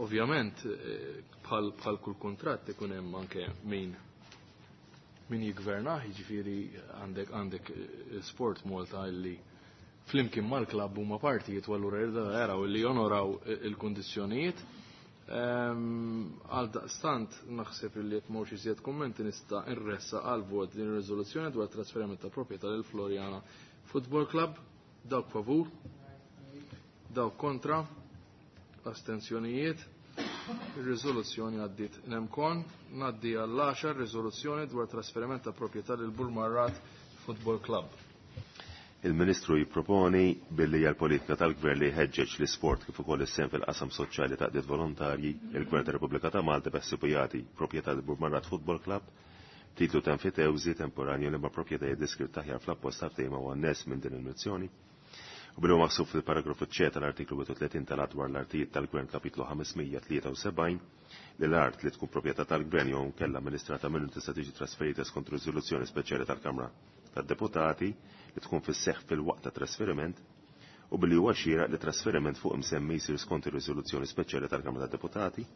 Ovvjament, bħal kull kuntratt ikun hemm anke min jigvernah, jiġifieri għandek Sport Malta illi flimkien mal-klabb huma partijiet u allura jridu jaraw illi jonoraw il-kundizzjonijiet. Għal daqstant naħseb illi jekk m'hawnx iżjed kummenti nista' nressaq għal vot din ir-riżoluzzjoni dwar trasferiment ta' proprjetà lil Floriana Football Club. Dawk favur, dawk kontra, astenzjonijiet. Ir-riżoluzzjoni għaddiet nemkon. Ngħaddi għall-10 riżoluzzjoni dwar trasferiment ta' proprjetà lil Burmarrad Football Club. Il-Ministru jipproponi billi hija l-politika tal-Gvern li jħeġġeġ l-isport kif ukoll is-sehem fil-qasam soċjali ta' qdiet volontarji, il-Gvern tar-Repubblika ta' Malta beħsiebu jagħti proprjetà lil Burmarrad Football Club titlu ta' enfitewżi temporanju li ma' proprjetajiet deskritt aħjar fl-apposta ta' ftehim u anness minn din il-mozzjoni. U billi huwa maħsub fil-paragrafu C tal-artiklu 31 tal-Att dwar l-Artijiet tal-Gvern kapitlu 573 li l-art li tkun proprjetà tal-Gvern jew inkella amministrata minnu tista' tiġi trasferita skont riżoluzzjoni speċjali tal-Kamra tad-Deputati li tkun fis-seħħ fil-waqt ta' trasferiment u billi huwa xieraq li trasferiment fuq imsemmi jsir skont ir-riżoluzzjoni speċjali tal-Kamra tad-Deputati.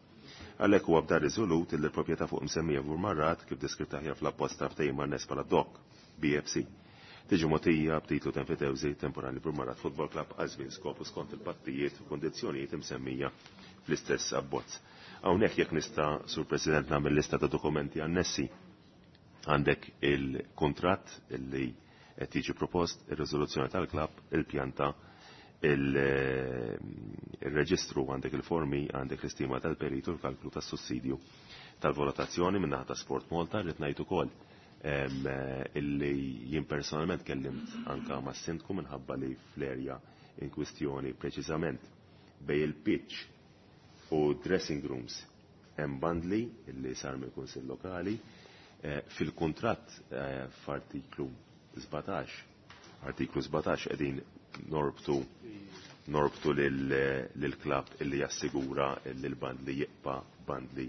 Għalhekk huwa b'dan riżolut li l-proprjetà fuq imsemmija Burmarrad kif deskritta aħjar fl-apposta ftehim anness bħala DOC BFC tiġi mogħtija b'titlu ta' enfitewżi temporali Burmarrad Football Club għal żmien skopu skont il-pattijiet u kundizzjonijiet imsemmija fl-istess abbozz. Hawnhekk jekk nista' Sur President nagħmel lista ta' dokumenti annessi. Għandek il-kuntratt illi qed jiġi propost, ir-riżoluzzjoni tal-klabb, il-pjanta, il-reġistru, għandek il-formi, għandek l-istima tal-peritu, l-kalklu tas-sussidju tal-valutazzjoni min-naħa ta' Sport Malta. Rrid ngħid ukoll illi jien personalment kellimt anka ma' sindku minħabba li fl-erja in kwistjoni preċiżament bej il-pitch u dressing rooms hemm bandli illi sar mill-Kunsill Lokali. Fil-kuntratt f'artiklu 17, artiklu 17 qegħdin norbtu lil-klabb illi jassigura li l-bandli jibqa' bandli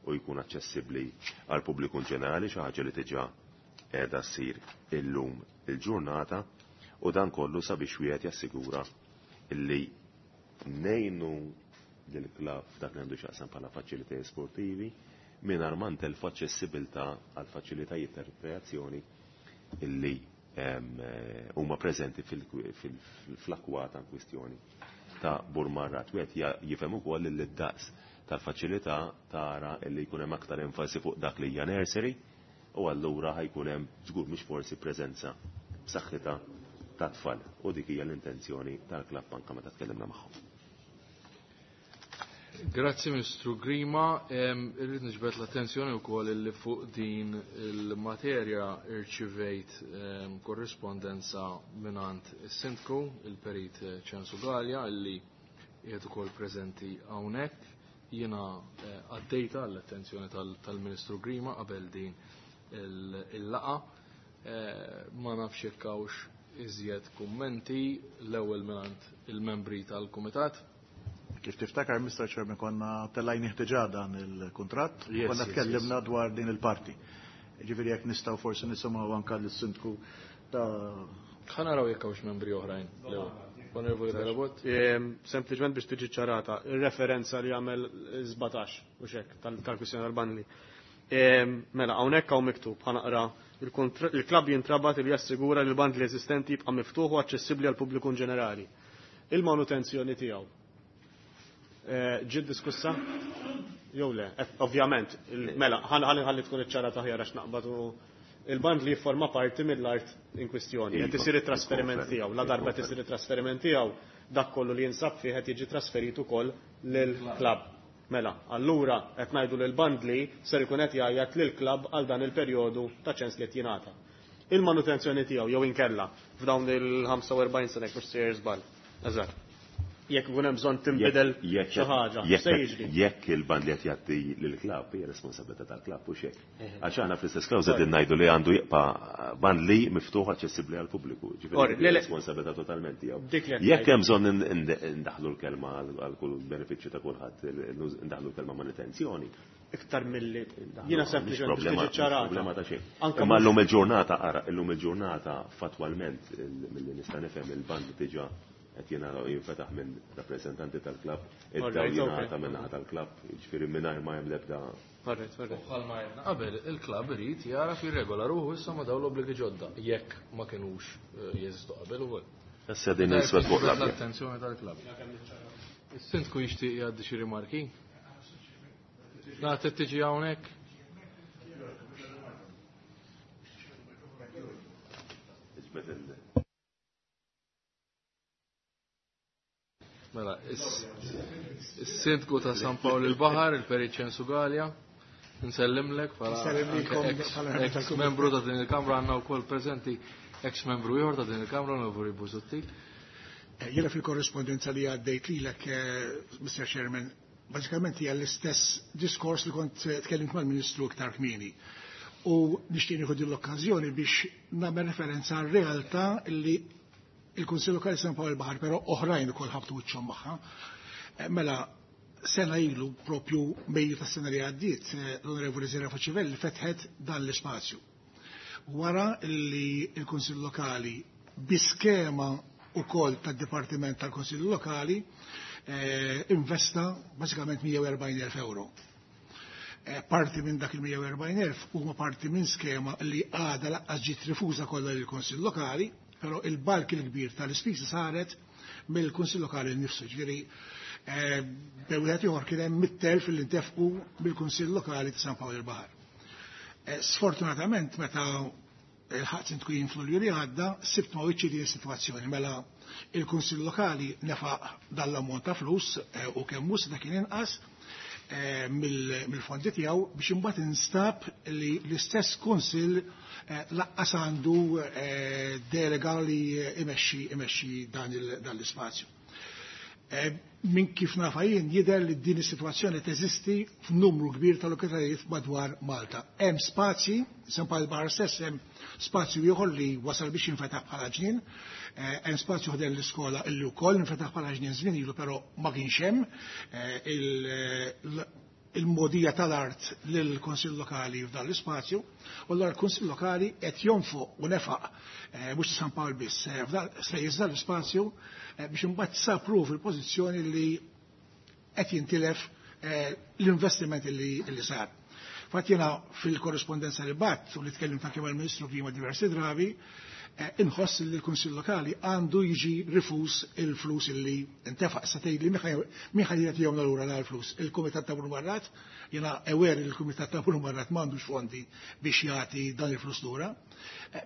u jkun aċċessibbli għal pubbliku ġenerali, xi ħaġa li diġà qiegħda ssir illum il-ġurnata, u dan kollu sabiex wieħed jassigura illi ngħinu lill-klabb f'dak li għandu x'jaqsam bħala faċilitajiet sportivi mingħajr ma ntelfu aċċessibilità għal faċilitajiet ta' rekreazzjoni illi huma preżenti fl-akkwata in kwistjoni ta' Burmarrad. Wieħed jifhem ukoll li d-daqs tal-faċilità tara illi jkun hemm aktar enfasi fuq dak li hija nursery u allura ħajkun hemm żgur mhux forsi preżenza b'saħħitha ta' tfal u dik hija l-intenzjoni tal-klabb anke meta tkellimna magħhom. Grazzi Ministru Grima, irrid niġbed l-attenzjoni wkoll illi fuq din il-materja irċivejt korrispondenza mingħand is-Sindku, il-Perit Ċensu Galea, illi qiegħed ukoll preżenti hawnhekk. Jiena għaddejta l-attenzjoni tal-Ministru Grima qabel din il-laqa. Ma nafx jekk hawnx iżjed kummenti l-ewwel mingħand il-membri tal-Kumitat. Kif tiftakar, Mr. Chairman, konna tellajni ħtiġa dan il-kuntratt, konna tkellimna dwar din il-parti. Ġifieri jekk nistgħu forsi nisimgħu anke lis-sindku ta' Ħa naraw jekk hawnx membri oħrajn. Onorevoli Carabott. Sempliċement biex tiġi ċarata, ir-referenza li għamel 17 u xek tal-kwistjoni tal-bandli. Mela, hawnhekk hawn miktub, ħa naqra, il-klabb jintrabat li jassigura li l-bandli eżistenti jibqa' miftuħ u aċċessibbli għal pubbliku ġenerali. Il-manutenzjoni tiegħu. Ġiet diskussa? Jew le? Ovvjament, mela, ħalli tkun iċ-ċarata aħjar għax naqbad u il-band li jifforma parti mill-art in kwistjoni. Qed isir it-trasferiment tiegħu. La darba qed isir it-trasferiment tiegħu, dak kollu li jinsab fih qed jiġi trasferit ukoll lill-klabb. Mela, allura qed ngħidu lil bandli ser ikun qed jgħajjat lill-klabb għal dan il-perjodu ta' ċens li qed jingħata. Il-manutenzjoni tiegħu jew inkella f'dawn il-45 sena jekk mhux sejjer żball. Eżatt. Jekk ikun hemm bżonn tinbidel xi ħaġa, se jiġri. Jekk il-band li qed jgħaddi lill-klabb hija responsabilità tal-klabb u xejn. Għax aħna fl-istess klawża qegħdin ngħidu li għandu jibqa' bandli miftuħ aċċessibbli għall-pubbliku. Ġifieri responsabilità totalment tiegħu. Jekk hemm bżonn indaħlu l-kelma għal kull benefiċċju ta' kulħadd, indaħlu l-kelma manutenzjoni. Iktar milli jiena sempliċement biex tiġi ċarata. Problema ta' xejn. Imma llum il-ġurnata ara, illum il-ġurnata fatwalment milli nista' nifhem il-band diġà qed jingħata jinfetaħ minn rappreżentanti tal-klabb, id-dawl jingħata minn naħa tal-klabb, jiġifieri mingħajr ma hemm l-ebda. Bħalma għedna qabel, il-klabb irid jaraf jirregola ruħu issa ma' dawn l-obbligi ġodda, jekk ma kinux jeżistu qabel ukoll. Issa din niswed fuq l-abjad. L-attenzjoni tal-klabb. Is-sindku jixtieq jgħaddi xi rimarki? Nagħti tiġi hawnhekk? Mela, is-sindku ta' San Pawl il-Baħar, il-Perit Ċensu Galea, nsellimlek bħala ex-membru ta' din il-Kamra, għandna wkoll preżenti ex-membru ieħor ta' din il-Kamra, Onorevoli Busuttil. Jiena fil-korrespondenza li għaddejt lilek, Mr. Chairman, bażikament hija l-istess diskors li kont tkellimt mal-Ministru iktar kmieni. U nixtieq nieħu din l-okkażjoni biex nagħmel referenza għar-realtà li il-Kunsill Lokali San Pawl il-Baħar, però oħrajn ukoll ħabtu wiċċhom magħha. Mela, sena ilu propju Mejju tas-sena li għaddiet, l-Onorevoli Zera Facivelli fetħet dan l-ispazju. Wara li l-Kunsill Lokali bi skema ukoll tad-Dipartiment tal-Kunsill Lokali investa bażikament 140,000 euro. Parti minn dak il-140,000 huma parti minn skema li għadha laqqas ġiet rifuża kollha lill-Kunsill Lokali, però il-balk il-kbir tal-ispiża saret mill-Kunsill Lokali nnifsu. Ġifieri bejn wieħed ieħor kien hemm 100,000 li ntefqu mill-Kunsill Lokali ta' San Pawl il-Baħar. Sfortunatament meta il-ħadd sindku jien fl-Lulju li għadda, sibt ma' wiċċi din is-sitwazzjoni. Mela il-Kunsill Lokali nefaq dan l-ammont ta' flus u kemm hu seta' kien inqas mill-fondi tiegħu biex imbagħad instab li l-istess Kunsill laqqas għandu delega li imexxi dan l-ispazju. Min kif nafa jien jidher li din is-sitwazzjoni teżisti f'numru kbir ta' lokalitajiet madwar Malta. Hemm spazji, San Pawl il-Baħar stess hemm spazju ieħor li wasal biex jinfetaħ bħala ġnien, hemm spazju ħdejn l-iskola illi wkoll infetaħ bħala ġnien żmien ilu però ma kienx hemm il-modija tal-art lill-Kunsill Lokali f'dan l-ispazju, u allura l-Kunsill Lokali qed jonfoq u nefaq mhux San Pawl biss, spejjeż dan l-ispazju biex imbagħad sapru fil-pożizzjoni li qed jintilef l-investiment li sar. Fatt jiena fil-korrespondenza li bat u li tkellimt anke mal-Ministru prima diversi drabi, inħoss li l-Kunsill Lokali għandu jiġi rifus il-flus illi intefaq. Sa tgħid li min ħaj jagħtihom lura l-flus. Il-Kumitat ta' Burmarrat, jiena aware li l-Kumitat ta' Burmarrat m'għandux fondi biex jagħti dan il-flus lura,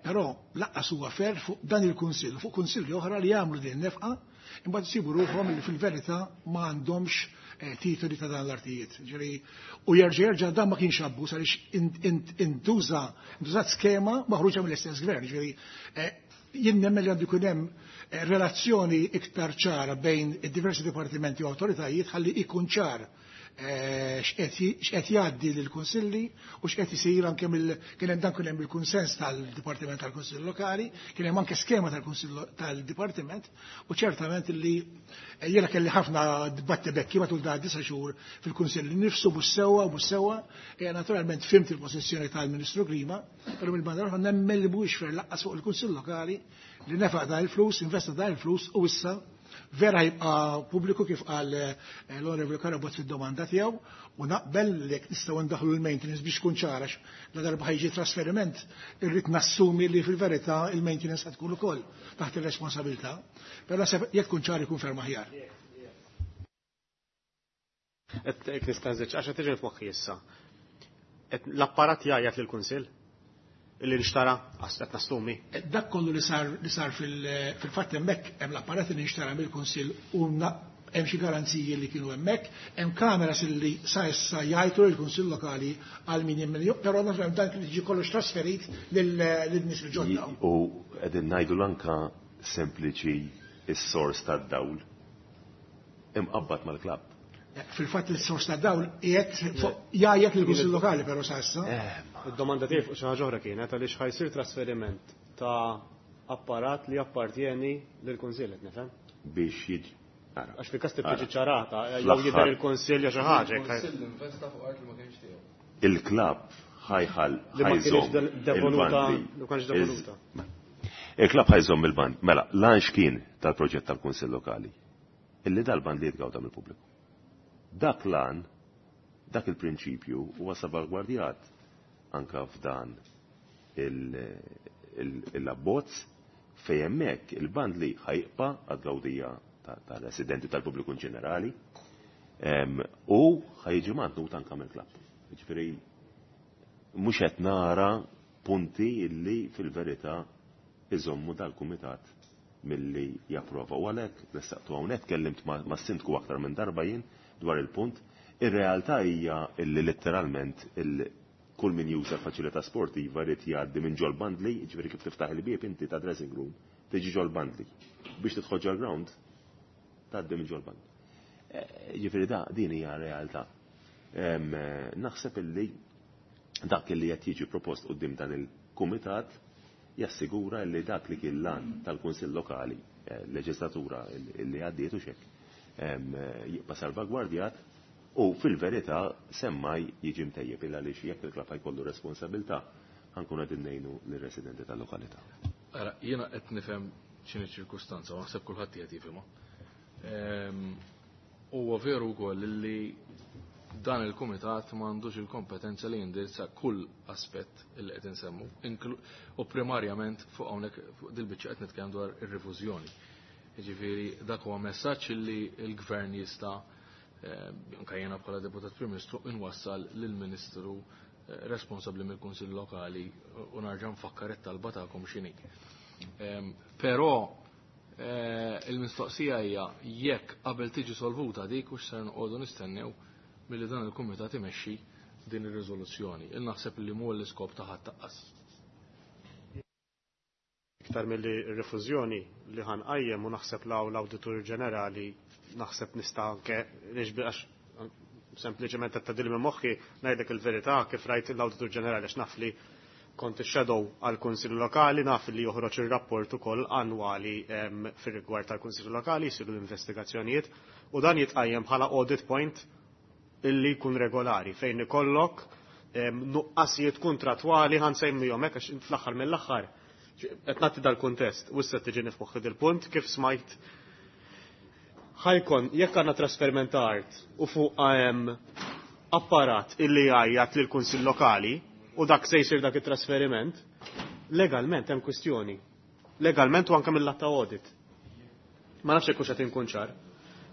però laqqas huwa fer fuq dan il-Kunsill, fuq kunsilli oħra li jagħmlu din nefqa, imbagħad isibu ruħhom li fil-verità ma għandhomx titoli ta' dan l-artijiet. Ġifieri, u jerġa' jerġa' dan ma kienx abbuż għaliex intużat skema maħruġa mill-istess gvern. Ġifieri, jien nemmen li għandu jkun hemm relazzjoni iktar ċara bejn id-diversi dipartimenti u awtoritajiet ħalli ikun ċar x'qed jgħaddi lill-kunsilli u x'qed isir anke mill kien hemm dan kien hemm il-kunsens tal-Dipartiment tal-Kunsill Lokali, kien hemm anke skema tal-Kunsill tal-Dipartiment u ċertament li jiena kelli ħafna dibatti bekki matul da 9 xhur fil-Kunsill nifsu mhux sewwa u mhux sewwa, naturalment fimt il-pożizzjoni tal-Ministru Grima, però mill-banda l-oħra nemmen li mhuwiex fer laqqas fuq il-Kunsill Lokali li nefaq dan il-flus, investa dan il-flus u issa vera jibqa' pubbliku kif qal l-Onorevoli Carabott fid-domanda tiegħu u naqbel li jekk nistgħu ndaħlu l-maintenance biex tkun ċara la darba ħajġi trasferiment irrid nassumi li fil-verità il-maintenance qed tkun ukoll taħt ir-responsabilità, però naħseb jekk tkun ċara jkun ferm aħjar. Qed hekk nista' nżidx għax qed tiġi f'moħħi issa. Qed l-apparat jgħajjat lill-Kunsill illi nxtara qed nassumi. Dak kollu li sar li sar fil-fatt hemmhekk hemm l-apparat li nxtara mill-Kunsill u hemm xi garanziji li kienu hemmhekk, hemm kameras li sa issa jgħajtu lill-Kunsill Lokali għal min jemmen, però naturalment dan kien jiġi kollox trasferit lil nies il-ġodda. U qegħdin ngħidu l-anka sempliċi is-sors tad-dawl. imqabbad mal-klabb. Fil-fatt il-sors ta' dawl qiegħed jgħajjat lill-Kunsill Lokali però sa issa. Id-domanda tiegħi fuq xi ħaġa oħra kienet għaliex ħa jsir trasferiment ta' apparat li jappartjeni lill-Kunsill qed nifhem. Biex jiġi. Għax fil-każ trid tiġi ċarata, jew jidher il-Kunsill jew xi ħaġa. Il-Kunsill investa fuq art li ma kienx tiegħu. Il-klabb ħajħal Li ma kienx devoluta, li ma kienx devoluta. Il-klabb ħajżomm il-band. Mela, l-għan x'kien tal-proġett tal-Kunsill Lokali? Illi dal-band li jitgawda mill-pubbliku. Dak l-għan, dak il-prinċipju huwa salvagwardjat anka f'dan il-abbozz fejn hemmhekk il-band li ħajqpa għad-gawdija tal-residenti tal-pubbliku in ġenerali u ħajġi mantnut anka mill-klabb. Jiġifieri mhux qed nara punti illi fil-verità iżommu dal-kumitat milli japprova. U għalhekk ressaqtu hawnhekk kellimt mas-sindku aktar minn darba jien dwar il-punt. Ir-realtà hija illi letteralment kull min juża faċilità sportiva jrid jgħaddi minn ġol bandli, jiġifieri kif tiftaħ il-bieb inti ta' dressing room, tiġi ġol bandli. Biex tidħol ġol ground, tgħaddi minn ġol bandli. Jiġifieri da din hija realtà. Naħseb illi dak li qed jiġi propost quddiem dan il-kumitat jassigura li dak li kien lan tal-Kunsill Lokali, leġislatura li għaddiet u xek, jibqa' salvagwardjat u fil-verità semmaj jiġi mtejjeb illa għaliex jekk il-klabb jkollu responsabilità ħankun qegħdin ngħinu lir-residenti tal-lokalità. Ara, jiena qed nifhem x'inhi ċirkustanza, u naħseb kulħadd qed jifhimha. Huwa veru wkoll li dan il-kumitat m'għandux il-kompetenza li jindirizza kull aspett li qed insemmu, u primarjament fuq hawnhekk fuq dil-biċċa qed nitkellem dwar ir-rifużjoni. Jiġifieri dak huwa messaġġ li l-gvern jista' anke jiena bħala deputat Prim Ministru inwassal lill-Ministru responsabbli mill-Kunsill Lokali u narġa' nfakkar it-talba tagħkom x'inhi. Però il-mistoqsija hija jekk qabel tiġi solvuta dik u x'ser noqogħdu nistennew milli dan il-kumitat imexxi din ir-riżoluzzjoni. Il naħseb li mhu l-iskop ta' ħadd taqqas. Iktar milli r-rifużjoni li ħanqajjem u naħseb law l-Awditur Ġenerali naħseb nista' anke għax sempliċement qed tgħaddili minn moħħi ngħidlek il-verità kif rajt l-Awditur Ġenerali għax naf li kont ix-shadow għall-Kunsill Lokali, naf li joħroġ ir-rapport ukoll annwali fir-rigward tal-Kunsill Lokali, jsiru l-investigazzjonijiet u dan jitqajjem bħala audit point illi jkun regolari fejn ikollok nuqqasijiet kontratwali ħansemmihom hekk għax fl-aħħar mill-aħħar qed nagħti dal-kuntest u issa tiġi f'moħħi dil-punt kif smajt ħajkon jekk għandna trasferiment ta' art u fuq hemm apparat illi jgħajjat lill-Kunsill Lokali u dak se jsir dak it-trasferiment, legalment hemm kwistjoni. Legalment u anke mill-lat ta' audit. Ma nafx hekk hux qed inkun ċar.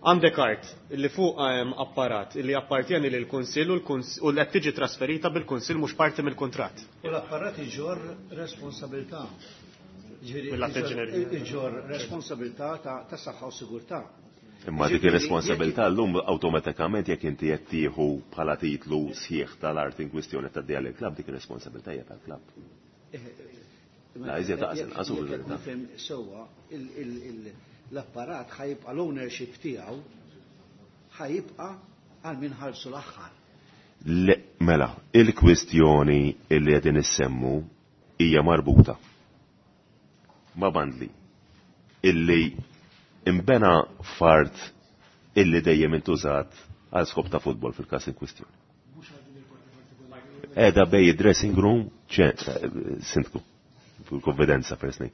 Għandek art illi fuq hemm apparat illi appartjeni lil kunsill u qed tiġi trasferita bil-kunsill mhux parti mill-kuntratt. U l-apparat iġorr responsabilità. Mill-att inġinerija. Iġorr responsabilità ta' saħħa u sigurtà. Imma dik ir-responsabilità llum awtomatikament jekk inti qed tieħu bħala titlu sħiħ tal-art in kwistjoni tgħaddiha lill-klabb dik ir-responsabilità hija tal-klabb. La iżjed taqas inqas u fil-verità. Nifhem sewwa l-apparat ħajibqa' l-ownership tiegħu ħajibqa' għal min ħallsu l-aħħar. Le, mela, il-kwistjoni li qegħdin issemmu hija marbuta ma' bandli illi imbena fart illi dejjem intużat għal skop ta' futbol fil-każ in kwistjoni. Qiegħda bej dressing room, sindku, fil-konfidenza first name.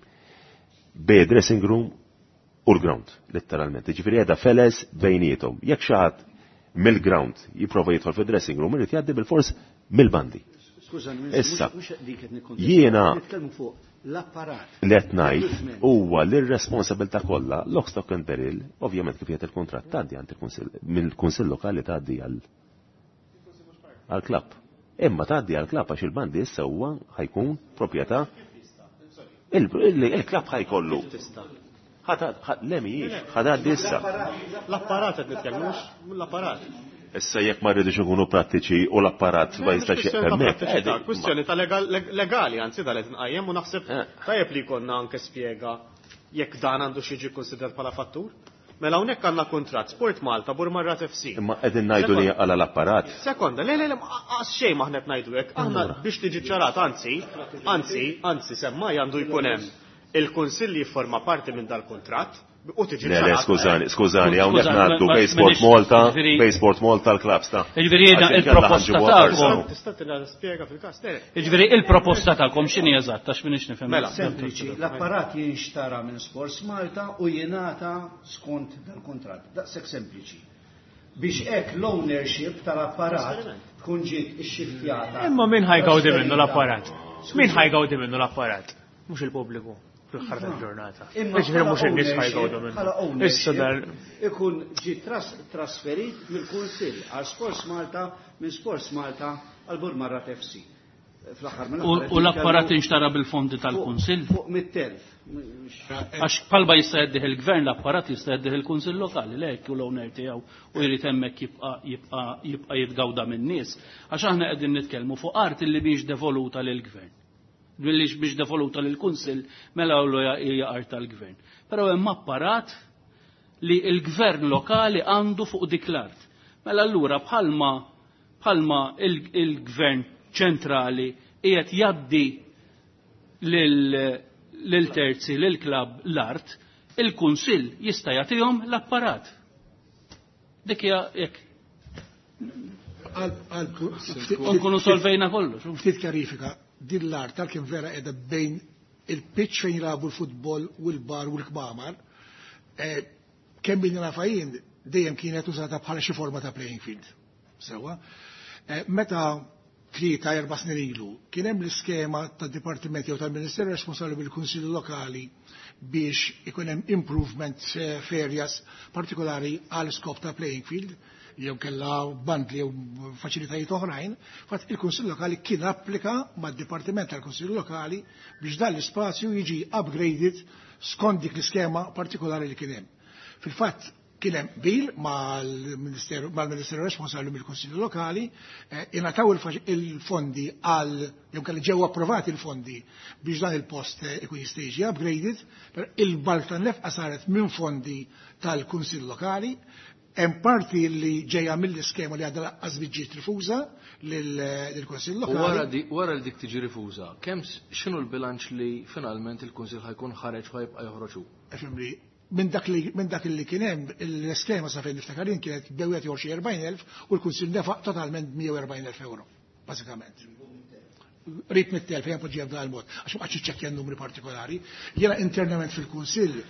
Bej dressing room u l-ground, letteralment. Ġifieri qiegħda feles bejniethom. Jekk xi ħadd mill-ground jipprova jidħol fid-dressing room, irid jgħaddi bil-fors mill-bandi. Skużani, Issa, mhux dik qed nikkontesta. jiena Nitkellmu fuq l-apparat. li qed ngħid huwa li r-responsabilità kollha lock stock and barrel, ovvjament kif jgħid il-kuntratt tgħaddi għand il-kunsill, mill-kunsill lokali tgħaddi għall-klabb. Imma tgħaddi għall-klabb għax il-bandi issa huwa ħajkun proprjetà il-klabb ħajkollu. Le mhijiex, ħadgħaddi issa. L-apparat qed nitkellmux, l-apparat. Issa jekk ma rridux ikunu prattiċi u l-apparat ma jistax hemmhekk. Kwistjoni ta' legali, anzi dal qed nqajjem u naħseb tajjeb li jkollna anke spjega jekk dan għandu xi jiġi kkonsidrat bħala fattur. Mela hawnhekk għandna kuntratt Sport Malta Burmarrad FC. Imma qegħdin ngħidu li għala l-apparat. Sekonda, le, le, le, qas xejn ma aħna qed ngħidu hekk. Aħna biex tiġi ċarat, anzi, anzi, anzi, semmai għandu jkun hemm il-Kunsill li jifforma parti minn dal-kuntratt u tiġi Le, le, ċarat. skużani, skużani, hawnhekk Skużani, ngħaddu ma- Bay Sport ma- Malta, ġifieri- Bay Sport Malta l-klabs ta' Jiġifieri jiena Għax inkella il-proposta ħanġibuha tagħkom. farsa. Tista' tingħata spjega fil-każ, le, le. Jiġifieri il-proposta tagħkom x'inhi eżatt għax m'iniex nifhem. Mela. Sempliċi, l-apparat jinxtara minn Sports Malta u jingħata skont dal-kuntratt. Daqshekk sempliċi. Biex hekk l-ownership tal-apparat tkun ġiet ixxiftjata. Imma min ħa jgawdi minnu l-apparat? Min ħa jgawdi minnu l-apparat? Mhux il-pubbliku fl-aħħar tal-ġurnata. Imma Jiġifieri mhux bħala in-nies ħa jgawdu ownership- bħala minnu. Issa ownership dar ikun ġi trasferit mill-Kunsill għal Sports Malta minn Sports Malta għal Burmarrad FC. Fl-aħħar mill-aħħar U l-apparat inxtara bil-fondi tal-Kunsill? Fuq 100,000. Għax palba jista' jgħaddih il-gvern l-apparat jista' jgħaddih il-Kunsill Lokali, le hekk hu l-owner tiegħu u jrid hemmhekk jibqa' jibqa' jibqa' jitgawda min-nies. Għax aħna qegħdin nitkellmu fuq art illi mhix devoluta lill-gvern. Billi biex devoluta lill-Kunsill mela hu hija art tal-gvern. Però hemm apparat li l-gvern lokali għandu fuq dik l-art. Mela allura bħalma il-gvern ċentrali qiegħed jgħaddi lil terzi, lil klab l-art, il-Kunsill jista' jagħtihom l-apparat. Dik hija hekk. U nkunu solvejna kollox. Ftit kjarifika, din l-art tal-kien vera qiegħda bejn il-pitch fejn jilagħbu l-futbol u l-bar u l-kmamar, kemm bini nafha jien dejjem kienet użata bħala xi forma ta' playing field. Sewa. Meta 3-4 snin ilu kien hemm l-iskema tad-Dipartiment jew tal-Ministeru responsabbli bil-Kunsilli Lokali biex ikun hemm improvement f'areas partikolari għal skop ta' playing field jew kella bandli jew faċilitajiet oħrajn, fatt il-Kunsill Lokali kien applika mad-Dipartiment tal-Kunsill Lokali biex dan l-ispazju jiġi upgraded skont dik l-iskema partikolari li kien hemm. Fil-fatt kien hemm bil mal-Ministeru responsabbli mill-Kunsill Lokali, ingħataw il-fondi għal jew kelli ġew approvati il-fondi biex dan il-post ikun jista' jiġi upgraded, però il-balk tan-nefqa saret minn fondi tal-Kunsill Lokali. Hemm parti li ġejja mill-iskema li għadha laqqas ġiet rifuża lill-Kunsill U Lokali. wara li dik tiġi rifuża, kemm x'inhu l-bilanċ li finalment il-Kunsill ħajkun ħareġ u ħajbqa' joħroġ hu? Fimni, minn dak li kien hemm l-iskema sa fejn niftakar jien kienet bewet jew xi 40,000 u l-Kunsill nefaq totalment 140,000 euro, bażikament. Rrit mit-telf, jien poġġija b'dan il-mod, għax ma qgħadx iċċekkja n-numri partikolari. Jiena internament fil-Kunsill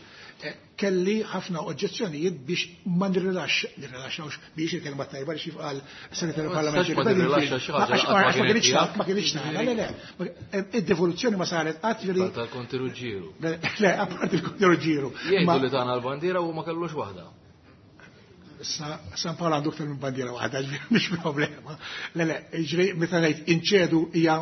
kelli ħafna oġġezzjonijiet biex ma nirrilaxxawx biex il-kelma tajba li xif qal segretarju Ma parlamentari. tistax ma tirrilaxxa xi ħaġa Għax qatt ma ma kienet kienx tiegħek. ma kienx tagħna, le, le. Id-devoluzzjoni ma saret qatt ġifieri Tal-Konti Ruġġieru. Le, le, apparti il-Konti Ruġġieru. Jgħidu Ma li tagħna l-bandiera u ma kellux waħda. San Paolo għandu aktar minn bandiera waħda, ġifieri mhix problema. Le, le, ġifieri meta ngħid inċedu hija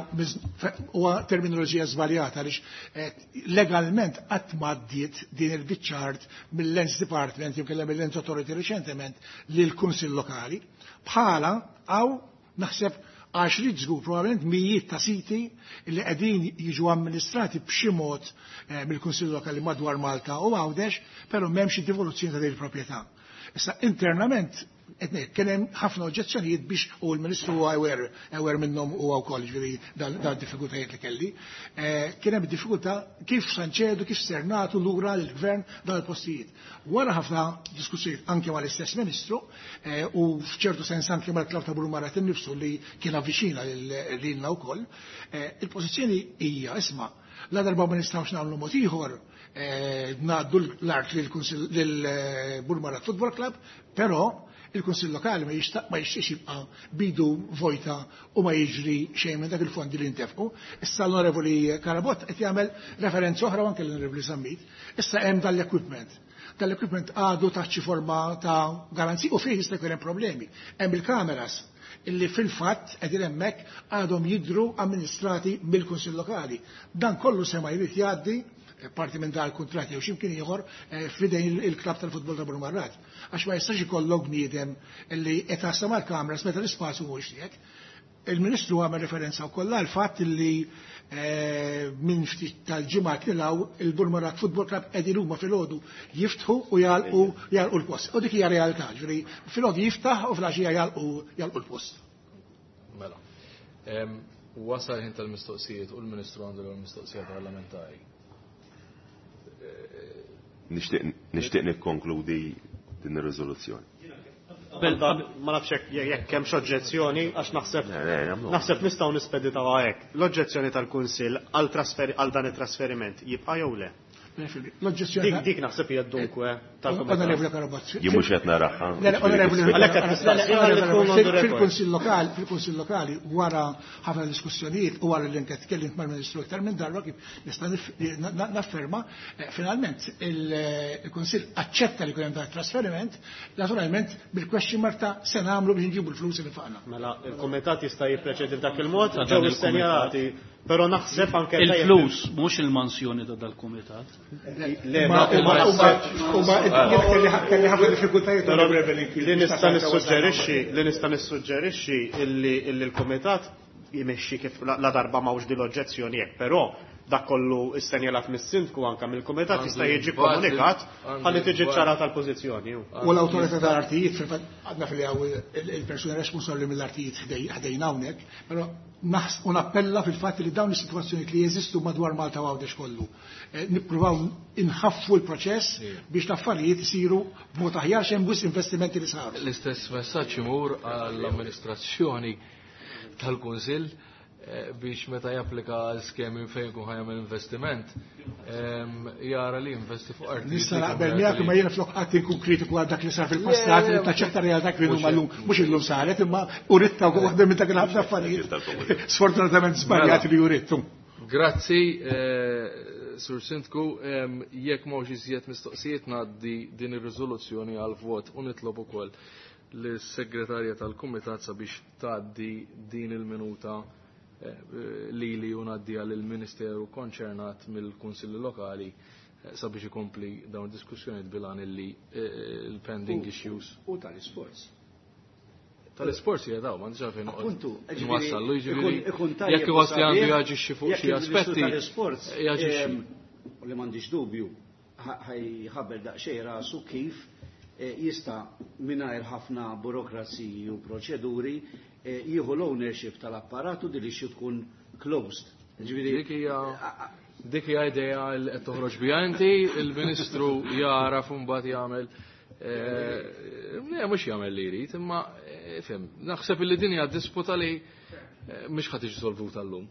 huwa terminoloġija żbaljata għaliex legalment qatt ma għaddiet din il-biċċa art mill-Lands Department jew kellha mill-Lands Authority reċentement lill-Kunsill Lokali. Bħala hawn naħseb għaxriet żgur probabbilment mijiet ta' siti li qegħdin jiġu amministrati b'xi mod mill-Kunsill Lokali madwar Malta u Għawdex, però m'hemmx devoluzzjoni ta' din il-proprjetà. Issa internament qed ngħid, kien hemm ħafna oġġezzjonijiet biex u l-Ministru huwa aware minnhom huwa wkoll, ġifieri dan diffikultajiet li kelli. Kien hemm diffikultà kif se nċedu, kif ser nagħtu lura lill-gvern dan il-postijiet. Wara ħafna diskussjonijiet anke mal-istess Ministru u f'ċertu sens anke mal-Klabb ta' Burmarrad innifsu li kien avviċina lilna wkoll, il-pożizzjoni hija isma' la darba ma nistgħux nagħmlu mod ieħor ngħaddu l-art lil Burmarrad Football Club, però il-Kunsill Lokali ma jixtiex jibqa' bidu vojta u ma jiġri xejn minn dak il-fondi li ntefqu. Issa l-Onorevoli Carabott qed jagħmel referenza oħra anke l-Onorevoli Zammit. Issa hemm dal-equipment. Dal-equipment għadu taħt xi forma ta' garanzija u fih jista' jkun hemm problemi. Hemm il-kameras illi fil-fatt qegħdin hemmhekk għadhom jidhru amministrati mill-Kunsill Lokali. Dan kollu se ma jrid jgħaddi parti minn dal kuntratt jew x'imkien ieħor f'idejn il-klabb tal-futbol ta' Burmarrad. Għax ma jistax ikollok bniedem li qed taħsem mal-kameras meta l-ispazju mhuwiex tiegħek. Il-Ministru għamel referenza wkoll għal fatt li minn ftit tal-ġimgħat li law il-Burmarrad Football Club qegħdin huma filgħodu jiftħu u jagħlqu l-post. U dik hija realtà, ġifieri filgħodu jiftaħ u filgħaxija jagħlqu l-post. Mela. Wasal ħin tal-mistoqsijiet u l-Ministru għandu l-mistoqsija parlamentari. Nixtieq nikkonkludi din ir-riżoluzzjoni. Ma nafx jekk hemmx oġġezzjoni għax naħseb nistgħu nispeditawha hekk. L-oġġezzjoni tal-Kunsill għal dan it-trasferiment jibqa' jew le? L-oġġezzjoni dik naħseb hija dunkwe tal-Onorevoli Karabazzi. Jien mhux qed naraha. Fil-Kunsill Lokali, fil-Kunsill Lokali wara ħafna diskussjonijiet u wara li anke tkellimt mal-Ministru iktar minn darba kif nista' nafferma, finalment il-Kunsill aċċetta li jkun hemm dan it-trasferiment, naturalment bil-question mark ta' se nagħmlu biex nġibu l-flus li faqna. Mela, il-kumitat jista' jippreċedi f'dak il-mod, ġew issenjalati, però naħseb anke il-flus mhux il-mansjoni ta' dal-kumitat. Le, kelli ħafna diffikultajiet li nista' nissuġġerixxi illi l-kumitat jimexxi kif la darba m'hawnx din l-oġġezzjoni hekk, però dak kollu issenjalat mis-sindku anke mill-kumitat jista' jiġi komunikat ħalli tiġi ċarata l-pożizzjoni. U l-awtorità tal-artijiet fil-fatt għadna fil il-persuna responsabbli mill-artijiet ħdejna hawnhekk, però u nappella fil-fatt li dawn is-sitwazzjonijiet li jeżistu madwar Malta u Għawdex kollu. Nippruvaw inħaffu l-proċess biex l-affarijiet isiru b'mod aħjar x'hemm wisq investimenti li saru. L-istess messaġġ imur għall-amministrazzjoni tal-Kunsill biex meta japplika għal skemi fejn ikun ħajamel investiment, jara li investi fuq arti. Nista' naqbel miegħek imma jiena flok qatt inkun kritiku għal dak li sar fil-passat, li taċċetta realtà kif huma llum, mhux illum saret, imma uritta waħda minn dak il-ħafna affarijiet. Sfortunatament żbaljati li urittu. Grazzi, Sur Sindku, jekk m'hawnx iżjed mistoqsijiet ngħaddi din ir-riżoluzzjoni għal vot u nitlob ukoll lis-segretarja tal-Kumitat sabiex tgħaddi din il-minuta li u ngħaddiha lill-Ministeru konċernat mill-Kunsilli Lokali sabiex ikompli dawn id-diskussjonijiet bilan illi l-pending issues. U tal-isports. Tal-isports hija daw, m'għandix għalfejn noqgħod Appuntu, nwassallu, jiġifieri ikun tajjeb jekk iħoss li għandu sabiħ, jaġixxi fuq jekk xi il-Ministru aspetti, tal-isports, jaġixxi. U li m'għandix dubju, ħajħabel daqsxejn rasu kif jista' mingħajr ħafna burokraziji u proċeduri jieħu l-ownership tal-apparatu di li xi tkun closed. Ġifieri, Dik hija idea li qed toħroġ biha inti, il-Ministru jara imbagħad jagħmel mhux jagħmel li jrid, imma fhem, naħseb li din hija disputa li mhux ħadd tiġi solvuta llum.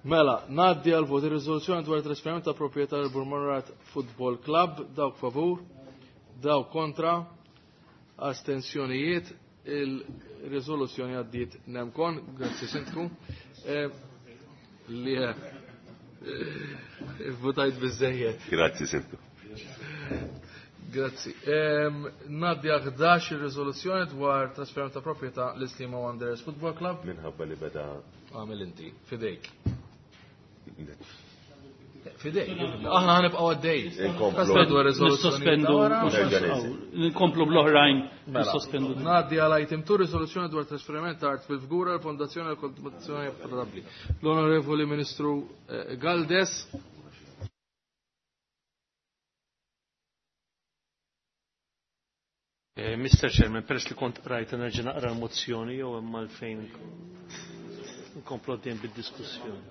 Mela, ngħaddi għal vot ir-riżoluzzjoni dwar trasferiment ta' proprjetà l Burmarrad Football Club, dawk favur, dawk kontra, astensjonijiet, il-riżoluzzjoni għaddiet nemkon, grazzi Sindku. Li votajt biżejjed. Grazzi Sindku. Grazzi. Ngħaddi għal 11 ir-riżoluzzjoni dwar trasferiment ta' proprjetà l-Sliema Wanderers Football Club. Minħabba li beda Għamel inti, fidejk. Fidejk, aħna ħanibqgħu għaddej. Inkomplu. Dwar riżoluzzjoni Nissospendu. Nkomplu bl-oħrajn. Mela. Nissospendu. Ngħaddi għal item 2 riżoluzzjoni dwar trasferiment ta' art fil-Fgura l-Fondazzjoni għal Kontribuzzjoni Affordabbli. L-Onorevoli Ministru Galdes. Mr. Chairman, peress li kont rajt nerġa' naqra l-mozzjoni jew hemm għalfejn nkomplu għaddejjin bid-diskussjoni.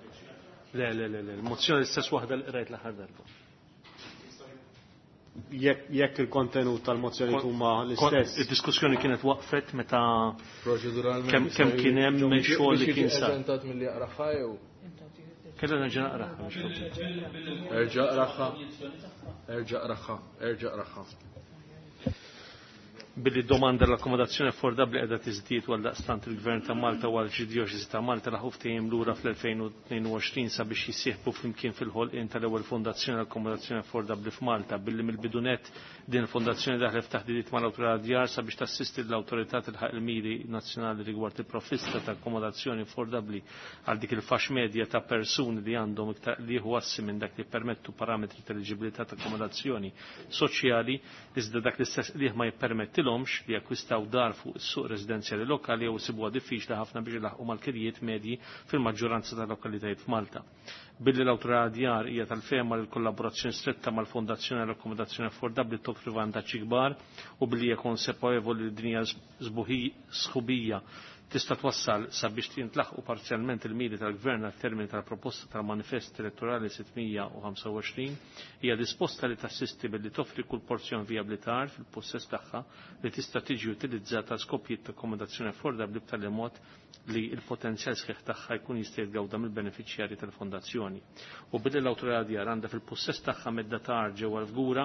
Le, le, le, le, l-mozzjoni l-istess waħda li qrajt l-aħħar darba. Jekk il-kontenut tal-mozzjoni huma l-istess. Id-diskussjoni kienet waqfet meta Proċeduralment kemm kien hemm xogħol li kien sar. Preżentat milli jaqraha jew? Kellha nerġa' naqraha, mhux problema. Erġa' qraha. Erġa' qraha, erġa' qraha. Billi domanda l-akkomodazzjoni affordabbli qiegħda tiżdied għal daqstant il-Gvern ta' Malta u għall-Arċidjoċesi ta' Malta laħu ftehim lura fl-2022 sabiex jissieħbu flimkien fil-ħolqien tal-ewwel fondazzjoni l-akkomodazzjoni affordabbli f'Malta, billi mill-bidunet din il-fondazzjoni daħlet f'taħdidiet mal-awtorità djar sabiex tassisti l-awtorità tilħaq il-miri nazzjonali rigward il-provvista ta' akkomodazzjoni affordabbli għal dik il-fax medja ta' persuni li għandhom iktar li jieħu assi minn dak li permettu parametri ta' eliġibilità ta' akkomodazzjoni soċjali, iżda dak l-istess li ma jippermettilhomx jippermettilhomx li jakkwistaw dar fuq is-suq residenzjali lokali jew isibuha diffiċli ħafna biex ilaħqu mal-kirjiet medji fil-maġġoranza tal-lokalitajiet f'Malta. Billi l-Awtorità Djar hija tal-fehma li l-kollaborazzjoni stretta mal-Fondazzjoni għall Akkomodazzjoni Affordabbli toffri vantaġġi kbar u billi hija konsapevoli li din hija sħubija tista' twassal sabiex jintlaħqu parzjalment il-miri tal-Gvern għal termini tal-proposta tal-Manifest Elettorali 625, hija disposta li tassisti billi toffri kull porzjon vijabbli ta' art fil-possess tagħha li tista' tiġi utilizzata għal skopijiet ta' akkomodazzjoni affordabbli b'tali mod li l-potenzjal sħiħ tagħha jkun jista' jitgawda mill-benefiċjarji tal-fondazzjoni. U billi l-Awtorità Djar għandha fil-possess tagħha medda ta' art ġewwa l-Fgura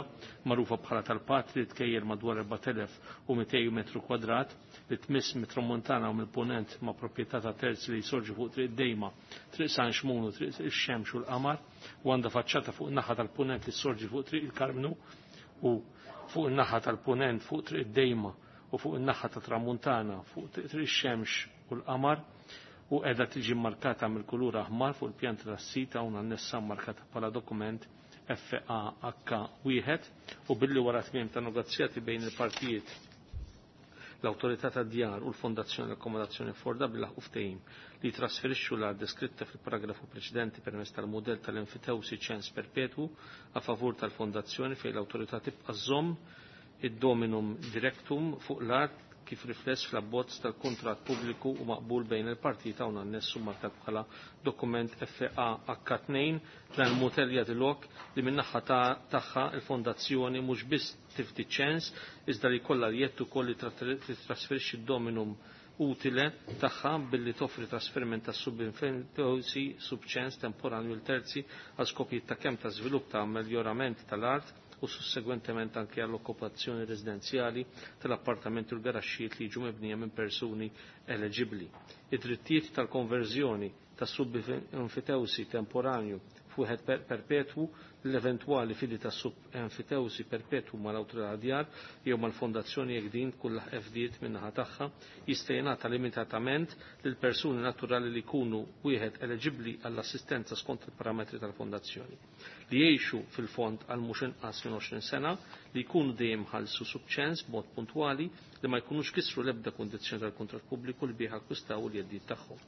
magħrufa bħala tal-Patri li tkejjel madwar 4200 metru kwadrat li tmiss mit-Tramuntana u mill-Punent ma' proprjetà ta' terzi li jsorġu fuq Triq Dejma, Triq San Xmun u Triq ix-Xemx u l-Qamar, u għandha faċċata fuq in-naħa tal-Punent li ssorġi fuq Triq il-Karmnu u fuq in-naħa tal-Punent fuq Triq Dejma u fuq in-naħa ta' Tramuntana fuq Triq ix-Xemx u l-Qamar u qiegħda tiġi mmarkata mill-kulur aħmar fuq il-pjanta tas-sit hawn annessa mmarkata bħala dokument FAH1 u billi wara tmiem ta' negozjati bejn il-partijiet l-Awtorità tad-Djar u l-Fondazzjoni l-Akkomodazzjoni Affordabbli laħqu ftehim li jitrasferixxu l-art deskritta fil-paragrafu preċedenti permezz tal-mudell tal-enfitewsi ċens perpetwu a favur tal-Fondazzjoni fejn l-Awtorità tibqa' żżomm id-dominum directum fuq l-art kif rifless fl-abbozz tal-kuntratt pubbliku u maqbul bejn il-partijiet hawn annessu markat bħala dokument FAH2. Dan il-mudell jagħti lok li min-naħa tagħha il-fondazzjoni mhux biss tifdi ċens iżda li jkollha l-jedd ukoll li titrasferixxi d-dominum utile tagħha billi toffri trasferiment ta' subinfentosi subċens temporanju l terzi għal skopijiet ta' kemm ta' żvilupp ta' ameljorament tal-art u sussegwentement anke għall-okkupazzjoni residenzjali tal-appartamenti u l-garaxxijiet li jiġu mibnija minn persuni eleġibbli. Id-drittijiet tal-konverżjoni ta' sub-enfitewsi temporanju f'wieħed perpetwu l-eventwali fidi ta' sub-enfitewsi perpetwu mal-awtorità djar jew mal-fondazzjoni jekk din tkun laħqet fdiet min-naħa tagħha jista' jingħata limitatament lil persuni naturali li jkunu wieħed eleġibbli għall-assistenza skont il-parametri tal-fondazzjoni li jgħixu fil-fond għal mhux inqas minn 20 sena, li jkunu dejjem ħallsu subċens b'mod puntwali, li ma jkunux kisru l-ebda kundizzjoni tal-kuntratt pubbliku li bih akkwistaw il-jeddijiet tagħhom.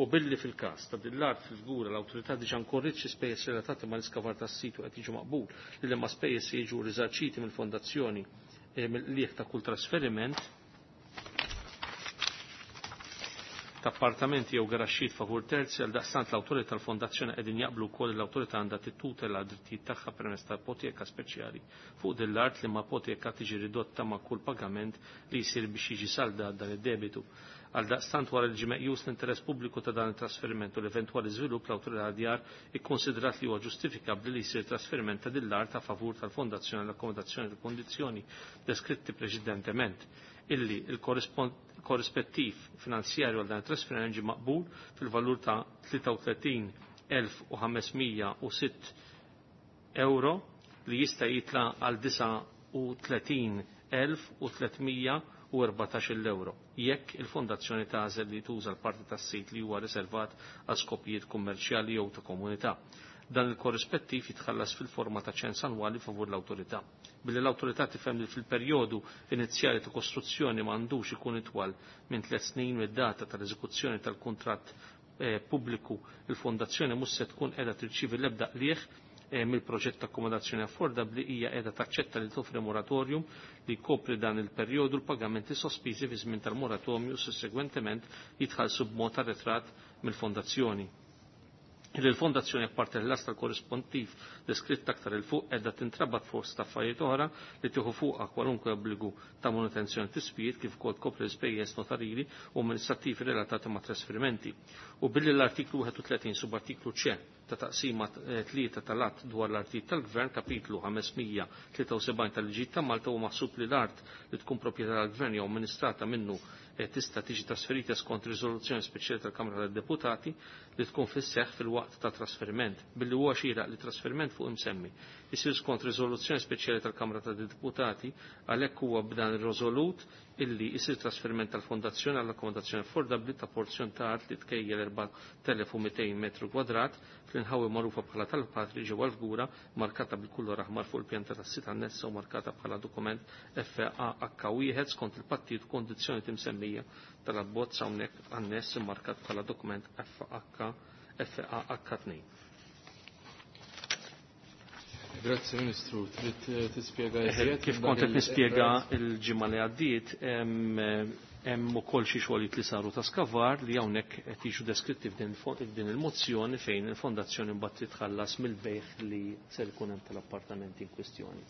U billi fil-każ ta' din l-art fil-Fgura l-awtorità diġà nkorriet xi spejjeż relatati mal-iskavar tas-sit u qed jiġu maqbul li liema spejjeż se jiġu riżarċiti mill-fondazzjoni mill-qligħ ta' kull trasferiment ta' appartamenti jew garaxxijiet favur terzi. Għal daqstant l-awtorità tal-fondazzjoni qegħdin jaqblu wkoll li l-awtorità għandha tittutela d-drittijiet tagħha permezz ta' ipoteka speċjali fuq din l-art li ma' ipoteka tiġi ridotta ma' kull pagament li jsir biex jiġi saldat dan id-debitu. Għal daqstant wara li ġie meqjus l-interess pubbliku ta' dan it-trasferiment u l-eventwali żvilupp, l-awtorità djar ikkonsidrat li huwa ġustifikabbli li jsir trasferiment ta' din l-art a favur tal-fondazzjoni l-akkomodazzjoni fil-kondizzjoni deskritti preċedentement, illi il-korrispettiv finanzjarju għal dan it-trasferiment ġie maqbul fil-valur ta' 33,506 euro li jista' jitla' għal 39,314 euro jekk il-fondazzjoni tagħżel li tuża l-parti tas-sit li huwa riservat għal skopijiet kummerċjali jew ta' komunità. Dan il-korrispettiv jitħallas fil-forma ta' ċens annwali favur l-awtorità. Billi l-awtorità tifhem li fil-perjodu inizjali ta' kostruzzjoni ma għandux ikun itwal minn 3 snin mid-data tal-eżekuzzjoni tal-kuntratt pubbliku, il-fondazzjoni mhux se tkun qiegħda tirċievi l-ebda qligħ mill-proġett ta' akkomodazzjoni affordabbli, hija qiegħda taċċetta li toffri moratorium li jkopri dan il-perjodu, l-pagamenti sospiżi fi żmien tal-moratorium sussegwentement jitħallsu b'mod arretrat mill-fondazzjoni. Illi l-fondazzjoni apparti l-las tal-korrispontiv deskritt aktar il fuq qiegħda tintrabat fost affarijiet oħra li tieħu fuqha kwalunkwe obbligu ta' manutenzjoni tisbijiet kif ukoll tkopri l-ispejjeż notarili u amministrattivi relatati ma' trasferimenti. U billi l-artiklu 31 subartiklu C ta' taqsima 3 tal-att dwar l-artijiet tal-Gvern kapitlu 573 tal-liġijiet ta' Malta huwa maħsub li l-art li tkun proprjetà tal-Gvern jew amministrata minnu tista' tiġi trasferita skont riżoluzzjoni speċjali tal-Kamra tad-Deputati li tkun fis-seħħ fil-waqt ta' trasferiment. Billi huwa xieraq li trasferiment fuq imsemmi isir skont riżoluzzjoni speċjali tal-Kamra tad-Deputati, għalhekk huwa b'dan ir-riżolut illi isir trasferiment tal-Fondazzjoni għall-akkomodazzjoni affordabbli ta' porzjon ta' art li tkejjel 4200 metru kwadrat fl-inħawi magħrufa bħala tal-Patri ġewwa l-Fgura, markata bil-kulur aħmar fuq il-pjanta tas-sit annessa u markata bħala dokument FAH1 skont il-pattijiet u kondizzjoni timsemmija tal-abbozz hawnhekk anness immarkat bħala dokument FAH2. Grazzi Ministru, trid tispjega iżjed? Kif kont qed nispjega l-ġimgħa li għaddiet, hemm ukoll xi xogħlijiet li saru ta' skavar li hawnhekk qed jiġu deskritti f'din il-mozzjoni fejn il-fondazzjoni mbagħad titħallas mill-bejħ li ser ikun hemm tal-appartamenti in kwistjoni.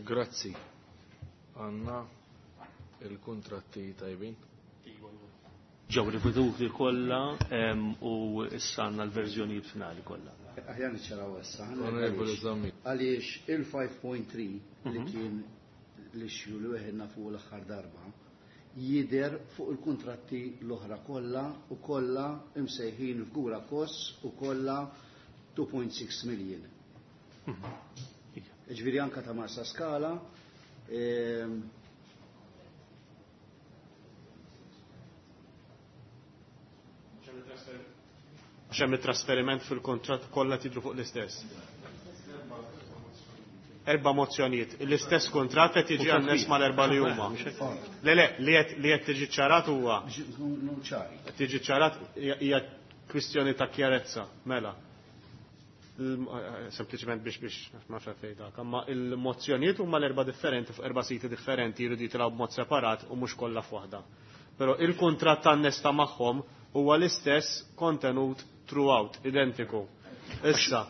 Grazzi. Għandna il-kuntratti tajbin. Ġew riveduti kollha u issa għandna l-verżjonijiet finali kollha. Aħjar niċċaraw issa. Onorevoli Zammit. Għaliex il-5.3 li kien l-issue li weħedna fuq l-aħħar darba jidher fuq il-kuntratti l-oħra kollha u kollha imsejħin f'Gura Koss u kollha 2.6 million. Ġifieri anka ta' Marsa Skala, Għax hemm it-trasferiment fil-kuntratt kollha tidru fuq l-istess. Erba' mozzjonijiet. L-istess kuntratt qed jiġi anness mal-erba' li huma. Le le, li qed li qed tiġi ċarat huwa. Qed tiġi ċarat hija kwistjoni ta' kjarezza, mela. Sempliċement biex biex ma fejn dak, imma il-mozzjonijiet huma l-erba' differenti fuq erba' siti differenti jridu jitilgħu b'mod separat u mhux kollha f'waħda. Però il-kuntratt anness ta' magħhom huwa l-istess kontenut throughout, identiku. Issa,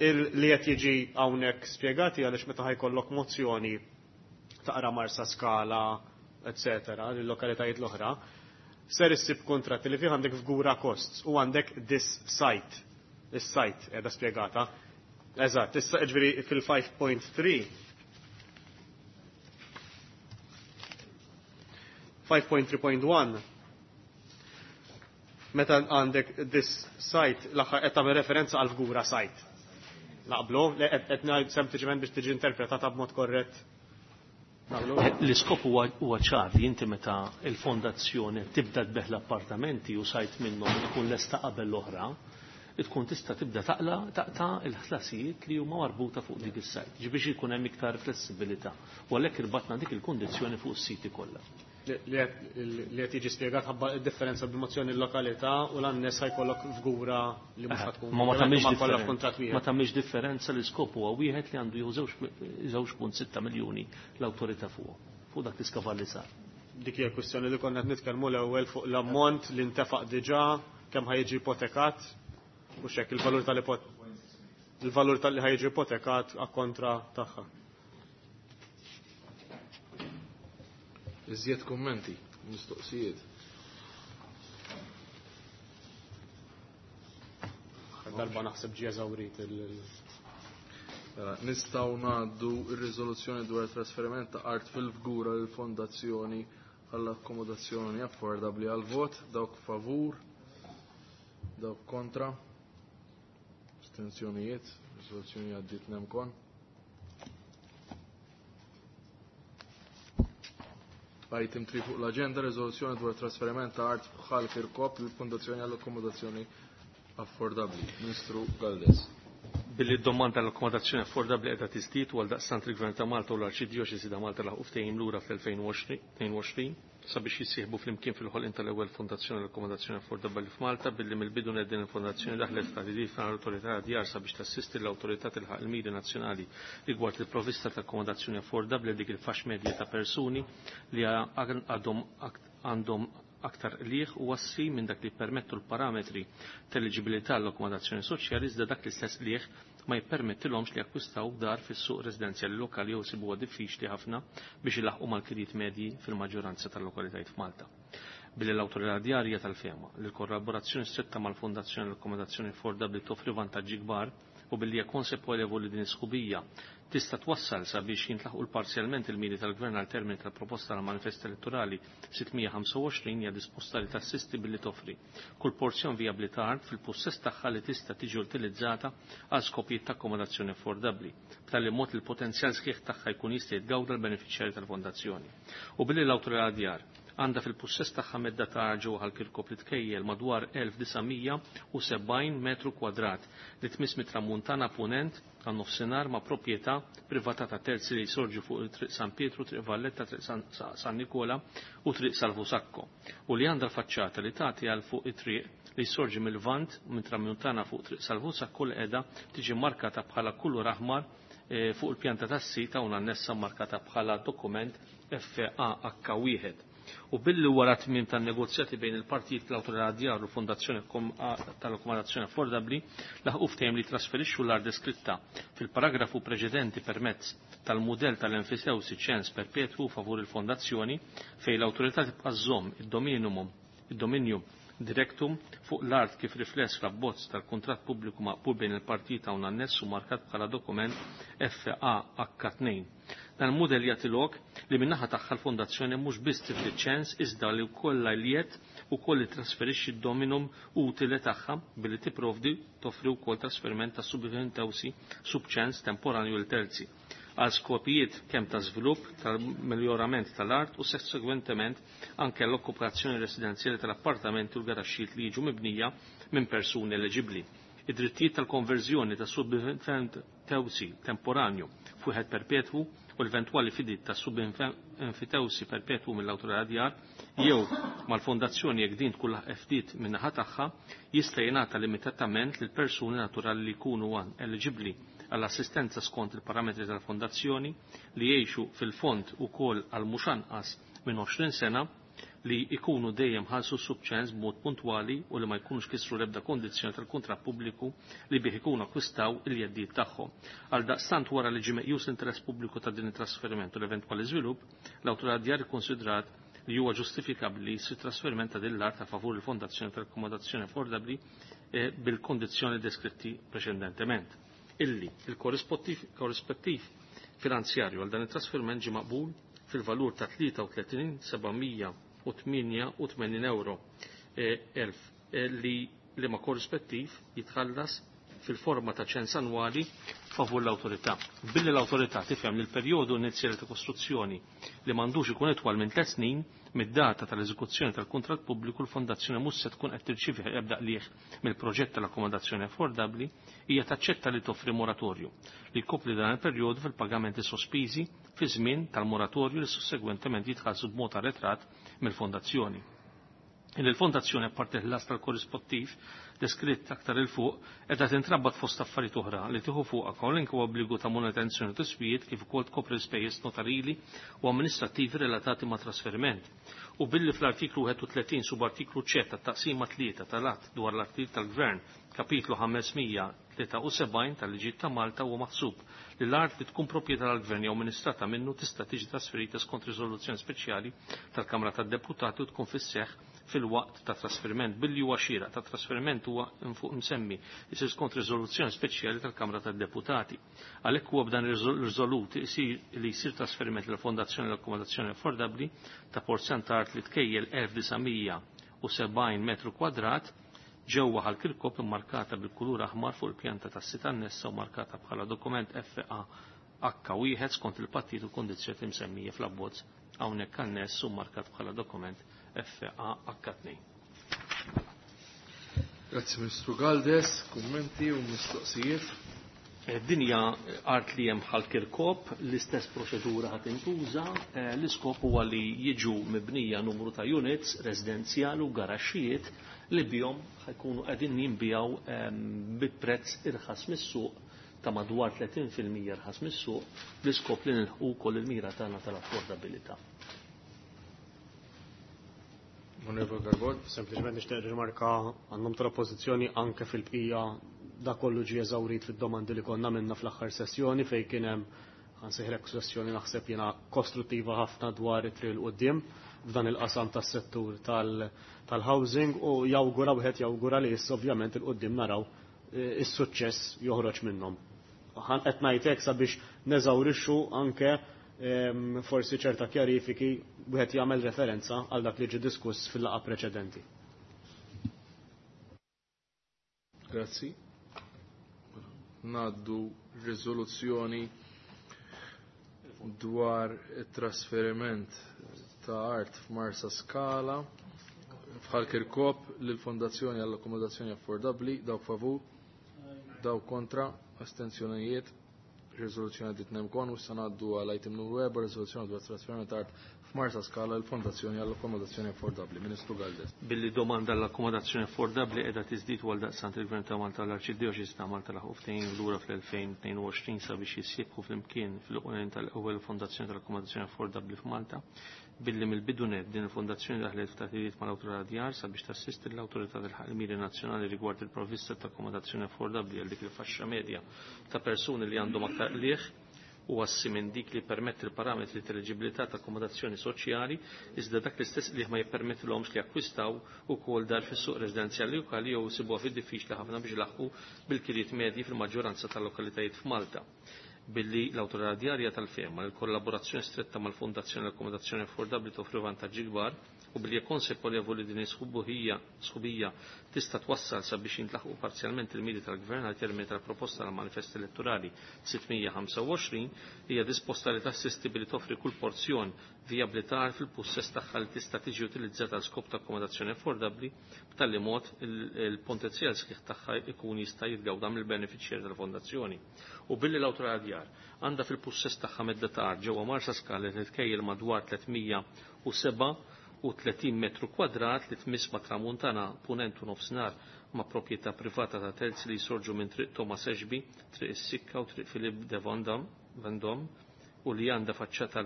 li qed jiġi hawnhekk spjegati għaliex meta ħajkollok mozzjoni taqra Marsa Skala, eccetera, l-lokalitajiet l-oħra, ser issib kontratti li fih għandek fgura costs u għandek this site. Is-site qiegħda spjegata. Eżatt, issa ġifieri fil-5.3 5.3.1 meta għandek this site l-aħħar qed tagħmel referenza għal fgura site. Naqblu, qed ngħid sempliċement biex tiġi interpretata b'mod korrett. L-iskop huwa ċar li inti meta l-fondazzjoni tibda tbeħ l-appartamenti u sajt minnhom tkun lesta qabel l-oħra, tkun tista' tibda taqla taqta' il-ħlasijiet li huma marbuta fuq dik is-sajt, ġi biex ikun hemm iktar flessibilità. U għalhekk irbatna dik il-kundizzjoni fuq is-siti kollha. Li qed jiġi spjegat ħabba d-differenza bil-mozzjoni l-lokalità u l-annes ħajkollok fgura li mhux ħatkun. Ma ma tagħmilx kollha f'kuntratt differenza. wieħed. Ma tagħmilx differenza l-iskop huwa wieħed li għandu jieħu żewġ punt sitta miljuni l-awtorità fuq fuq dak l-iskavar li sar. Dik hija kwistjoni li konna qed nitkellmu l-ewwel fuq l-ammont li ntefaq diġà, kemm ħajġi ipotekat u x'hekk il-valur tal-ipot il-valur tal-li ħajġi ipotekat kontra tagħha. Iżjed kummenti, mistoqsijiet. Darba naħseb ġie eżawrit il- Mela, nistgħu ngħaddu r-riżoluzzjoni dwar trasferiment ta' art fil-Fgura lill fondazzjoni għall-akkomodazzjoni affordabbli għal vot, dawk favur, dawk kontra, astensjonijiet, riżoluzzjoni għaddiet nemkon. Item 3 fuq l-agenda, riżoluzzjoni dwar trasferiment ta' art bħal Kirkop lill-Fondazzjoni għall-Akkomodazzjoni Affordabbli. Ministru Galdes. Billi d-domanda l-akkomodazzjoni affordabbli qiegħda tiżdied u għaldaqstant il-Gvern ta' Malta u l-Arċidjoċesi ta' Malta laħqu ftehim lura fl-2022 sabiex jissieħbu flimkien fil-ħolqien tal-ewwel fondazzjoni l-akkomodazzjoni affordabbli f'Malta billi mill-bidu net din il-fondazzjoni daħlet f'taħdidiet mal-awtorità djar sabiex tassisti l-awtorità tilħaq il-miri nazzjonali rigward il-provvista ta' akkomodazzjoni affordabbli dik il-faxx medja ta' persuni li għandhom aktar qligħ u assi minn dak li jippermettu l-parametri tal-eliġibilità l-akkomodazzjoni soċjali iżda dak l-istess qligħ ma jippermettilhomx li jakkwistaw dar fis-suq residenzjali lokali jew isibuha diffiċli ħafna biex ilaħqu mal-kredit medji fil-maġġoranza tal-lokalitajiet f'Malta. Billi l-awtorità djarja tal-fehma li l-kollaborazzjoni stretta mal-Fondazzjoni l-Akkomodazzjoni Affordabbli toffri vantaġġi kbar u billi hija konsapevoli li din is-sħubija tista' twassal sabiex jintlaħqu parzjalment il-miri tal-Gvern għal termini tal-proposta tal manifest elettorali 625 hija disposta li tassisti billi toffri kull porzjon vijabbli ta' art fil-possess tagħha li tista' tiġi utilizzata għal skopijiet ta' akkomodazzjoni affordabbli, b'tali mod li l-potenzjal sħiħ tagħha jkun jista' jitgawda l-benefiċjarji tal-fondazzjoni. U billi l-awtorità djar għandha fil-pussess tagħha medda ta' ġewwa Ħal-Kirkop li tkejjel madwar 1970 metru kwadrat li tmiss mit-tramuntana punent għan nofsinhar ma' proprjetà privata ta' terzi li jsorġu fuq il-Triq San Pietru, Triq Valletta, Triq San Nikola u Triq Salvu Sacco u li għandha l-faċċata li tagħti għal fuq it-triq li jsorġi mill-Lvant minn tramuntana fuq Triq Salvu Sacco li qiegħda tiġi markata bħala kulur aħmar fuq il-pjanta tas-sit hawn annessa markata bħala dokument FAH1. U billi wara tmiem tan-negozjati bejn il-partijiet l-Awtorità Djar u l-Fondazzjoni tal-Akkomodazzjoni Affordabbli laħqu ftehim li trasferixxu l-art deskritta fil-paragrafu preċedenti permezz tal-mudell tal-enfisewsi ċens perpetwu favur il-fondazzjoni fejn l-awtorità tibqa' żżomm id-dominju directum fuq l-art kif rifless fl-abbozz tal-kuntratt pubbliku maqbul bejn il-partijiet hawn anness u markat bħala dokument FAH2. Dan il-mudell jagħti lok li min-naħa tagħha l-fondazzjoni mhux biss tifli ċens iżda li wkoll l-jiet ukoll trasferixxi d-dominum utile tagħha billi tipprovdi toffri wkoll trasferiment ta' subventewsi subċens temporanju l terzi għal skopijiet kemm ta' żvilupp tal-miljorament tal-art u sussegwentement anke l-okkupazzjoni residenzjali tal-appartamenti u l-garaxxijiet li jiġu mibnija minn persuni eliġibbli. Id-drittijiet tal-konverżjoni ta' subinfentewsi temporanju f'wieħed perpetwu u l-eventwali fidit ta' subinfitewsi perpetwu mill-awtorità djar jew mal-fondazzjoni jekk din tkun ftit min-naħa tagħha jista' jingħata limitatament lil persuni naturali li jkunu eliġibbli għall-assistenza skont il-parametri tal-fondazzjoni li jgħixu fil-fond ukoll għal mhux anqas minn 20 sena li ikunu dejjem ħalsu subċens b'mod puntwali u li ma jkunux kisru l-ebda kondizzjoni tal-kuntratt pubbliku li bih ikunu akkwistaw il-jeddiet tagħhom. Għal daqstant wara li ġie meqjus l-interess pubbliku ta' din it-trasferiment u l-eventwali żvilupp, l-awtorità djar ikkonsidrat li huwa ġustifikabbli jsir trasferiment ta' din l-art a favur il-Fondazzjoni tal-Akkomodazzjoni Affordabbli bil-kondizzjoni deskritti preċedentement. Illi il-korrispettiv finanzjarju għal dan it-trasferiment ġie maqbul fil-valur ta' 33,788 euro elf li li ma korrispettiv jitħallas fil-forma ta' ċens annwali favur l-awtorità. Billi l-awtorità tifhem li l-perjodu inizjali ta' kostruzzjoni li m'għandux ikun itwal minn 3 snin mid-data tal-eżekuzzjoni tal-kuntratt pubbliku l-fondazzjoni mhux se tkun qed tirċievi ebda qligħ mill-proġett tal-akkomodazzjoni affordabbli, hija taċċetta li toffri moratorju li jkopri dan il-perjodu fil-pagamenti sospiżi fi żmien tal-moratorju li sussegwentement jitħallsu b'mod arretrat mill-fondazzjoni. Il-fondazzjoni apparti l-las tal-korrispettiv deskritt aktar il fuq qiegħda tintrabat fost affarijiet oħra li tieħu fuqha kwalunkwe obbligu ta' manutenzjoni u tiswijiet kif ukoll tkopri l-ispejjeż notarili u amministrattivi relatati ma' trasferiment. U billi fl-artiklu 31 subartiklu C tat-taqsima 3 tal-att dwar l-artiklu tal-Gvern kapitlu 573 tal-liġijiet ta' Malta huwa maħsub li l-art li tkun proprjetà tal-Gvern jew amministrata minnu tista' tiġi trasferita skont riżoluzzjoni speċjali tal-Kamra tad-Deputati u tkun fis-seħħ fil-waqt ta' trasferiment billi huwa xieraq ta' trasferiment huwa fuq msemmi isir skont riżoluzzjoni speċjali tal-Kamra tad-Deputati. Għalhekk huwa b'dan riżolut li jsir trasferiment lill Fondazzjoni l-Akkomodazzjoni Affordabbli ta' porzjon ta' art li tkejjel 1970 metru kwadrat ġewwa Ħal Kirkop immarkata bil-kulur aħmar fuq il-pjanta tas-sit annessa u markata bħala dokument FAH1 skont il-pattijiet u kondizzjoni msemmija fl-abbozz hawnhekk anness u markat bħala dokument FAH2. Grazzi Ministru Galdes, kummenti u mistoqsijiet. Dinja art li hemm Ħal Kirkop, l-istess proċedura ħad intuża, l-iskop huwa li jiġu mibnija numru ta' units residenzjali u garaxxijiet li bihom ħajkunu qegħdin jinbijaw bi prezz irħas mis-suq ta' madwar 30% irħas mis-suq bl-iskop li nilħqu wkoll il-mira tagħna tal-affordabilità. Onorevole Garbod. Sempliċement nixtieq rimarka għan-nom tal-Oppożizzjoni anke fil-bqija da kollu ġie eżawrit fid-domandi li konna minna fl-aħħar sessjoni fejn kien hemm ħansejħlek sessjoni naħseb jiena kostruttiva ħafna dwar it-triq 'il quddiem f'dan il-qasam tas-settur tal-housing u jawgura wieħed jawgura li issa ovvjament il quddiem naraw is-suċċess joħroġ minnhom. Qed ngħid hekk sabiex neżawrixxu anke forsi ċerta kjarifiki wieħed jagħmel referenza għal dak li ġie diskuss fil-laqgħa preċedenti. Grazzi. Naddu riżoluzzjoni dwar it-trasferiment ta' art f'Marsa Skala f'Ħal Kirkop lill-Fondazzjoni għall-Akkomodazzjoni Affordabbli, dawk favur, dawk kontra, astenzjonijiet, riżoluzzjoni għaddit nemkon u issa ngħaddu għal item numru 4, riżoluzzjoni dwar trasferiment ta' art f'Marsa Skala l-Fondazzjoni għall-Akkomodazzjoni Affordabbli. Ministru Galdes. Billi domanda l-akkomodazzjoni affordabbli qiegħda tiżdied għal daqsant il-Gvern ta' Malta l-Arċidjoċesi ta' Malta laħqu ftehim lura fl-2022 sabiex jissieħbu flimkien fil-qolin tal-ewwel Fondazzjoni tal-Akkomodazzjoni Affordabbli f'Malta, billi mill-bidu nett din il-fondazzjoni daħlet f'taħdidiet mal-Awtorità Djar sabiex tassisti l-Awtorità tilħaq il-miri nazzjonali rigward il-provvista ta' akkomodazzjoni affordabbli għal dik il-faxxa medja ta' persuni li għandhom aktar qligħ u assi minn dik li permetti l-parametri ta' eliġibilità ta' akkomodazzjoni soċjali, iżda dak l-istess li ma jippermettilhomx li jakkwistaw ukoll dar fis-suq residenzjali lokali jew isibuha fid-diffiċli ħafna biex laħqu bil-kiriet medji fil-maġġoranza tal-lokalitajiet f'Malta. Billi l-Awtorità Djarja tal-fehma li l-kollaborazzjoni stretta mal-Fondazzjoni l-Akkomodazzjoni Affordabbli toffri vantaġġi kbar u billi konsapevoli din sħubija tista' twassal sabiex jintlaħqu parzjalment il-miri tal-Gvern għal termini tal-proposta tal manifest elettorali 625, hija disposta li tassisti billi toffri kull porzjon vijabbli ta' art fil-pussess tagħha li tista' tiġi utilizzata għal skop ta' akkomodazzjoni affordabbli b'tali mod il-potenzjal sħiħ tagħha ikun jista' jitgawda mill-benefiċjarji tal-fondazzjoni. U billi l-Awtorità Djar għandha fil-pussess tagħha medda ta' art ġewwa Marsa Skala li titkejjel madwar 337 metru kwadrat li tmiss ma' tramuntana, punent u nofsinhar ma' proprjetà privata ta' terzi li jsorġu minn Triq Thomas Ashby, Triq is-Sikka u Triq Philip de Vendôme u li għandha faċċata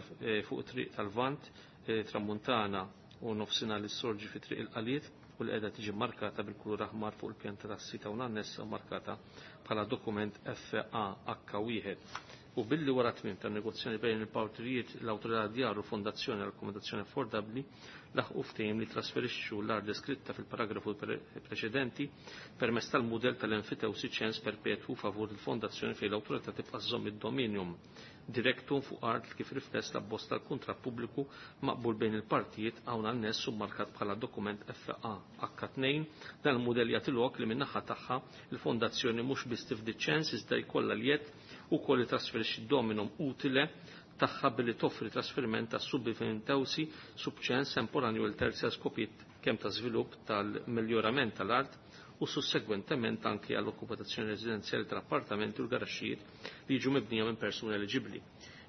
fuq Triq tal-Vant, tramuntana u nofsinhar li sorġi fi Triq il-Qaliet u li qiegħda tiġi markata bil-kulur aħmar fuq il-pjanta tas-sita u annessa markata bħala dokument FAH1. U billi wara tmiem tan-negozjoni bejn il-partijiet l-Awtorità Djar u Fondazzjoni għall Akkomodazzjoni Affordabbli laħqu ftehim li trasferixxu l-art deskritta fil-paragrafu preċedenti permezz tal-mudell tal-enfitewsi ċens perpetwu favur il-fondazzjoni fejn l-awtorità tibqa' żżomm id-dominium directum fuq art kif rifless l-abbozz tal-kuntratt pubbliku maqbul bejn il-partijiet hawn anness u markat bħala dokument FAH2. Dan il-mudell jagħti lok li min-naħa tagħha il-fondazzjoni mhux biss tifdi ċens iżda jkollha l-jedd ukoll li trasferixxi d-dominum utile tagħha billi toffri trasferiment ta' subfinantewsi subċens temporanju l terzi għal skopijiet kemm ta' żvilupp tal-miljorament tal-art u sussegwentement anke għall-okkupazzjoni residenzjali tal-appartamenti u l-garaxxijiet li jiġu mibnija minn persuni eliġibbli.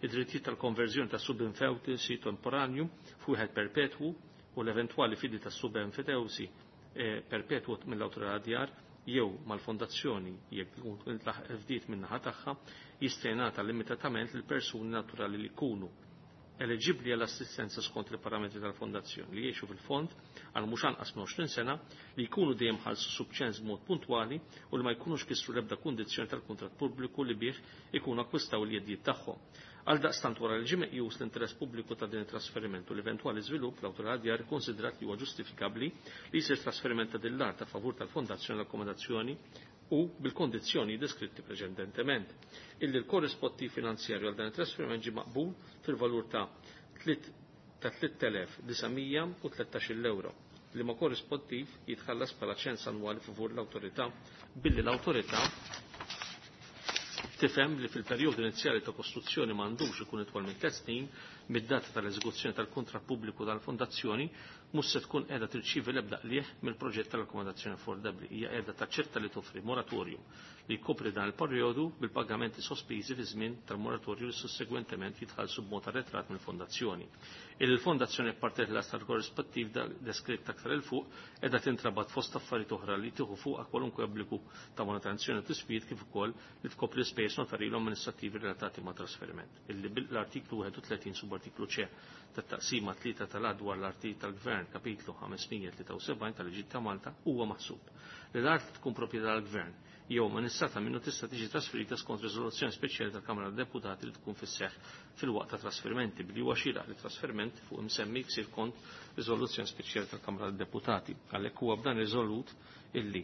Id-drittijiet tal-konverżjoni ta' subinfewtisi temporanju f'wieħed perpetwu u l-eventwali fidi ta' subinfewtisi perpetwu mill-awtorità djar jew mal-fondazzjoni jekk tkun fdiet min-naħa tagħha jista' jingħata limitatament lil persuni naturali li jkunu eliġibbli għall assistenza skont il-parametri tal-fondazzjoni li jgħixu fil-fond għal mhux anqas minn 20 sena, li jkunu dejjem ħallsu subċens b'mod puntwali u li ma jkunux kisru l-ebda kundizzjoni tal-kuntratt pubbliku li bih ikunu akkwistaw l-jeddijiet tagħhom. Għal daqstant wara li ġie meqjus l-interess pubbliku ta' din it-trasferiment u l-eventwali żvilupp, l-awtorità djar ikkonsidrat li huwa ġustifikabbli li jsir trasferiment ta' din l-art a favur tal-fondazzjoni l-akkomodazzjoni u bil-kondizzjoni deskritti preċedentement. Illi l-korrispettiv finanzjarju għal dan it-trasferiment ġie maqbul fil-valur ta' 3.913 euro li ma korrispettiv jitħallas bħala ċens annwali favur l-awtorità billi l-awtorità tifhem li fil-perjodu inizjali ta' kostruzzjoni m'għandux ikun itwal minn 3 snin mid-data tal-eżekuzzjoni tal-kuntratt pubbliku tal-fondazzjoni mhux se tkun qiegħda tirċievi l-ebda qligħ mill-proġett tal-akkomodazzjoni affordabbli. Hija qiegħda taċċetta li toffri moratorium li jkopri dan il-perjodu bil-pagamenti sospiżi fi żmien tal-moratorju li sussegwentement jitħallsu b'mod arretrat mill-fondazzjoni. Il-fondazzjoni apparti l tal korrispettiv deskritt aktar il fuq qiegħda tintrabat fost affarijiet oħra li tieħu fuqha kwalunkwe obbligu ta' manutenzjoni u tiswijiet kif ukoll li tkopri spejjeż notarili u amministrattivi relatati ma' trasferiment. Illi l-artiklu 31 subartiklu C tat-taqsima 3 tal-att dwar l-artijiet tal-Gvern kapitlu 573 tal-Liġi ta' Malta huwa maħsub li l-art tkun proprjetà tal-Gvern jew amministrata minnu tista' tiġi trasferita skont riżoluzzjoni speċjali tal-Kamra tad-Deputati li tkun fis-seħħ fil-waqt ta' trasferimenti billi huwa xieraq li trasferiment fuq imsemmi jsir kont riżoluzzjoni speċjali tal-Kamra tad-Deputati. Għalhekk huwa b'dan riżolut illi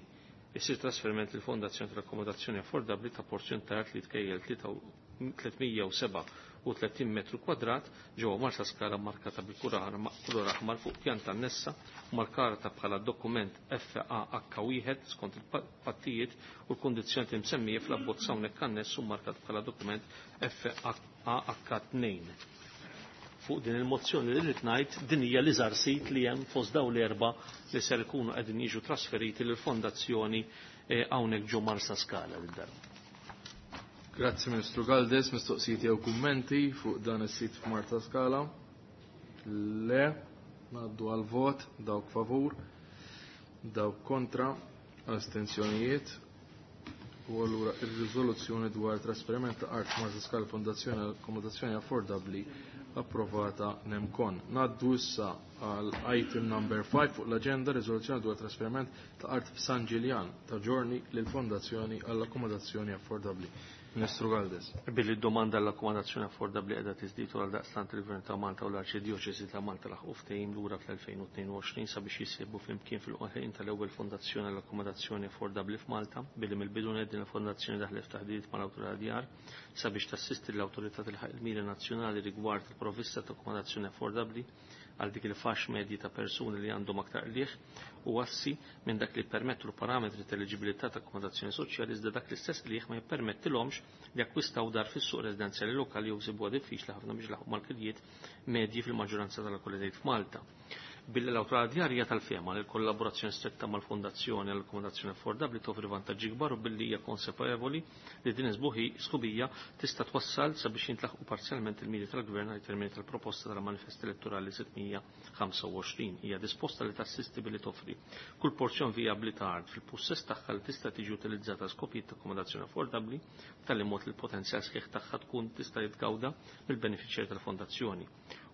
jsir trasferiment lill Fondazzjoni tal-Akkomodazzjoni Affordabbli ta' porzjon ta' art li tkejjel 337 metru kwadrat ġewwa Marsa Skala markata bil-kulur aħmar fuq pjanta annessa markata bħala dokument FAH1 skont il-pattijiet u l-kondizzjoni msemmija fl-abbozz hawnhekk anness u markat bħala dokument FAH2. fuq din il-mozzjoni li rrid ngħid din hija l-iżgħar sit li hemm fost dawn l-erba' li ser ikunu qegħdin jiġu trasferiti lill-fondazzjoni hawnhekk ġo Marsaskala lid-darba. Grazzi Ministru Galdes, mistoqsijiet jew kummenti fuq dan is-sit f'Marsaskala. Le, ngħaddu għal vot, dawk favur, dawk kontra, astenzjonijiet. U allura ir-riżoluzzjoni dwar trasferiment ta' art Marsaskala Fondazzjoni Akkomodazzjoni Affordabbli approvata nemkon. Naddu issa għal item number 5 fuq l-agenda riżoluzzjoni dwar trasferiment ta' art f'San Ġiljan ta' Giorni lil Fondazzjoni għall-Akkomodazzjoni Affordabbli. Ministru Galdes. Billi d-domanda l-akkomodazzjoni affordabbli qiegħda tiżdied għal daqstant il-Gvern ta' Malta u l-Arċidjoċesi ta' Malta laħqu ftehim lura fl-2022 sabiex jissieħbu flimkien fil-qolħin tal-ewwel fondazzjoni għall-akkomodazzjoni affordabbli f'Malta, billi mill-bidu nett din il-fondazzjoni daħlet f'taħdidiet mal-Awtorità Djar sabiex tassisti l-awtorità tilħaq il-miri nazzjonali rigward il-provvista ta' akkomodazzjoni affordabbli għal dik il-fax medji ta' persuni li għandhom aktar qligħ u assi minn dak li permettu l-parametri ta' eliġibilità ta' akkomodazzjoni soċjali, iżda dak l-istess qligħ ma jippermettilhomx li jakkwistaw dar fis-suq residenzjali lokali jew isibuha diffiċli ħafna biex laħqu mal-kirjiet medji fil-maġġoranza tal-lokalitajiet f'Malta. Billi l-awtorità djar hija tal-fehma li l-kollaborazzjoni stretta mal-Fondazzjoni għall-Akkomodazzjoni Affordabbli toffri vantaġġi kbar u billi hija konsapevoli li din is-sħubija tista' twassal sabiex jintlaħqu parzjalment il-miri tal-Gvern għal termini tal-proposta tal-Manifest Elettorali 625. Hija disposta li tassisti billi toffri kull porzjon vijabbli ta' art fil-pussess tagħha li tista' tiġi utilizzata skopijiet ta' akkomodazzjoni affordabbli b'tali mod li l-potenzjal sħiħ tagħha tkun tista' jitgawda mill-benefiċjarji tal-fondazzjoni.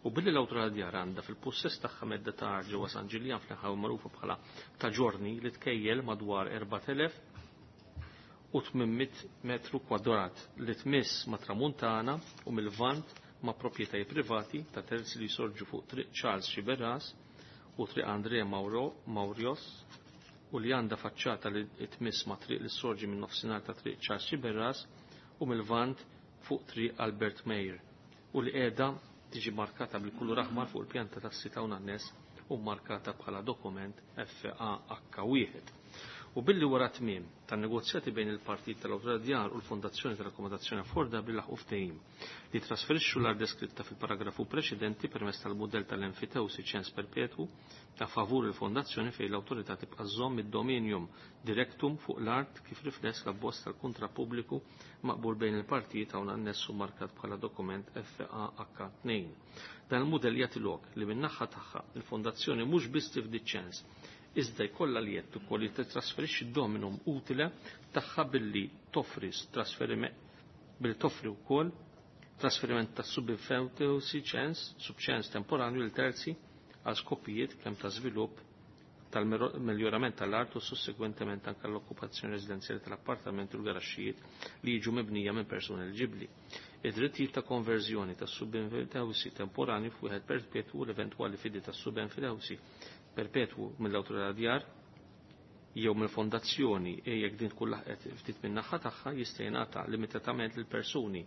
U billi l-awtorità djar għandha fil-pussess tagħha medda ta' art ġewwa San Ġiljan fl-inħawi magħrufa bħala ta' Ġorni li tkejjel madwar 4800 metru kwadrat li tmiss ma' Tramuntana u mill-Lvant ma' proprjetajiet privati ta' terzi li jsorġu fuq Triq Charles Sciberras u Triq Andrea Maurios u li għandha faċċata li tmiss ma' triq li sorġi minn nofsinhar ta' Triq Charles Sciberras u mill-Lvant fuq Triq Albert Meyer u li qiegħda tiġi markata bil-kulur aħmar fuq il-pjanta tas-sita u nannes u markata bħala dokument FAH1. U billi wara tmiem tan-negozjati bejn il-Partit tal-Awtorità Djar u l-Fondazzjoni tal-Akkomodazzjoni Affordabbli laħqu ftehim li trasferixxu l-art deskritta fil-paragrafu preċedenti permezz tal-mudell tal-enfitewsi ċens perpetwu ta' favur il-fondazzjoni fejn l-awtorità tibqa' żżomm id-dominium directum fuq l-art kif rifless l-abbozz tal-kuntratt pubbliku maqbul bejn il-partijiet hawn annessu markat bħala dokument FAH2. Dan il-mudell jagħti lok li min-naħa tagħha il-fondazzjoni mhux biss tifdi ċens iżda jkollha li jett ukoll li titrasferixxi d-dominum utile tagħha billi toffri trasferiment billi toffri wkoll trasferiment ta' subinfewtewsi ċens, subċens temporanju lil terzi għal skopijiet kemm ta' żvilupp tal-miljorament tal-art u sussegwentement anke l-okkupazzjoni residenzjali tal-appartamenti u l-garaxxijiet li jiġu mibnija minn persuni eliġibbli. Id-drittijiet ta' konverżjoni tas subinfewtewsi temporanju f'wieħed perpetwu u l-eventwali fidi tas subinfewtewsi perpetwu mill-awtorità djar jew mill-fondazzjoni e jekk din tkun laħqet ftit min-naħa tagħha jista' jingħata limitatament lil persuni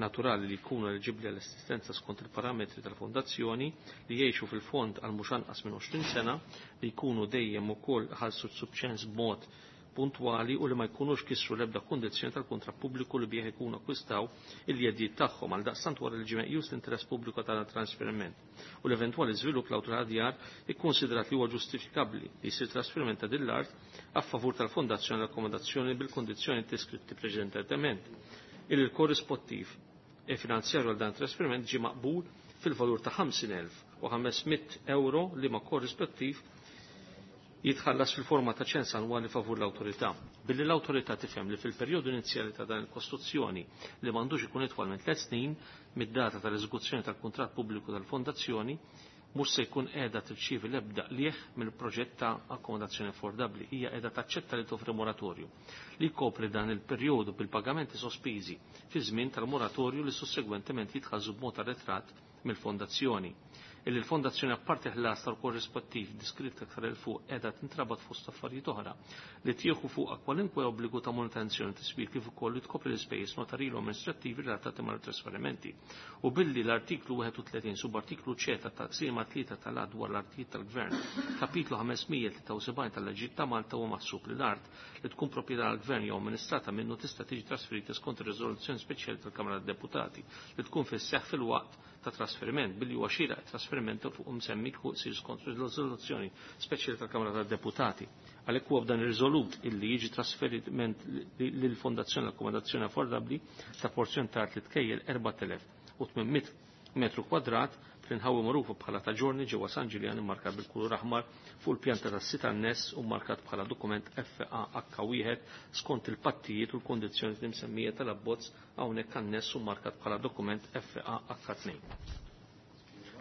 naturali li jkunu eliġibbli għall-assistenza skont il-parametri tal-fondazzjoni li jgħixu fil-fond għal mhux anqas minn 20 sena li jkunu dejjem ukoll ħallsu s-subċens b'mod puntwali u li ma jkunux kisru l-ebda kundizzjoni tal-kuntratt pubbliku li bih ikunu akkwistaw il-jeddijiet tagħhom. Għal daqstant wara li ġie meqjus l-interess pubbliku tal-trasferiment u l-eventwali żvilupp l-awtorità djar ikkonsidrat li huwa ġustifikabbli li jsir trasferiment ta' din l-art a favur tal-fondazzjoni l-akkomodazzjoni bil-kondizzjoni deskritti preċedentement. Il-korrispettiv e finanzjarju għal dan trasferiment ġie maqbul fil-valur ta' 50,500 euro li ma korrispettiv jitħallas fil-forma ta' ċens annwali favur l-awtorità. Billi l-awtorità tifhem li fil-perjodu inizjali ta' dan il-kostruzzjoni li m'għandux ikun itwal minn 3 snin mid-data tal-eżekuzzjoni tal-kuntratt pubbliku tal-fondazzjoni mhux se jkun qiegħda tirċievi l-ebda qligħ mill-proġett ta' akkomodazzjoni affordabbli. Hija qiegħda taċċetta li toffri moratorju li jkopri dan il-perjodu bil-pagamenti sospiżi fi żmien tal-moratorju li sussegwentement jitħallsu b'mod arretrat mill-fondazzjoni. Illi l-fondazzjoni apparti ħlas tal-korrispettiv diskritt aktar 'il fuq qiegħda tintrabat fost affarijiet oħra li tieħu fuqha kwalunkwe obbligu ta' manutenzjoni tiswir kif ukoll li tkopri l-ispejjeż notarili u amministrattivi relatati mal-trasferimenti. U billi l-artiklu 31 subartiklu C ta' taqsima 3 tal-Att dwar l-artijiet tal-Gvern, kapitlu 573 tal-Leġijiet ta' Malta huwa maħsub li l-art li tkun proprjetà tal-Gvern jew amministrata minnu tista' tiġi trasferita skont ir-riżoluzzjoni speċjali tal-Kamra tad-Deputati li tkun fis-seħħ fil-waqt ta' trasferiment billi huwa xieraq trasferiment fuq msemmi jsir skont riżoluzzjoni speċjali tal-Kamra tad-Deputati. Għalhekk huwa b'dan irriżolut illi jiġi trasferiment lill-Fondazzjoni l-Akkomodazzjoni Affordabbli ta' porzjon ta' art li tkejjel 4800 metru kwadrat fl-inħawi magħrufa bħala ta' ġorni ġewwa San Ġiljan immarkat bil-kulur aħmar fuq il-pjanta tas-sit anness u markat bħala dokument FAH1 skont il-pattijiet u l-kondizzjoni msemmija tal-abbozz hawnhekk anness u markat bħala dokument FAH2.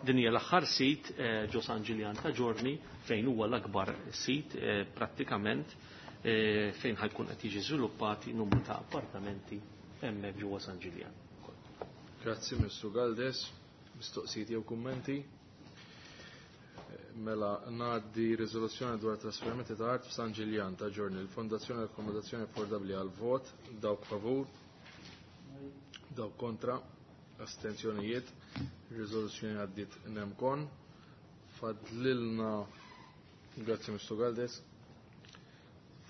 Din hija l-aħħar sit ġo San Ġiljan ta' Ġorni fejn huwa l-akbar sit prattikament fejn ħajkun qed jiġi żviluppati numru ta' appartamenti hemmhekk ġewwa San Ġiljan. Grazzi Mr. Galdes, mistoqsijiet jew kummenti. Mela ngħaddi riżoluzzjoni dwar trasferimenti ta' art f'San Ġiljan ta' Ġorni, il-Fondazzjoni Akkomodazzjoni Affordabbli għal vot, dawk favur, dawk kontra, astenzjonijiet, riżoluzzjoni għaddiet nemkon. Fadlilna, grazzi Mr. Galdes,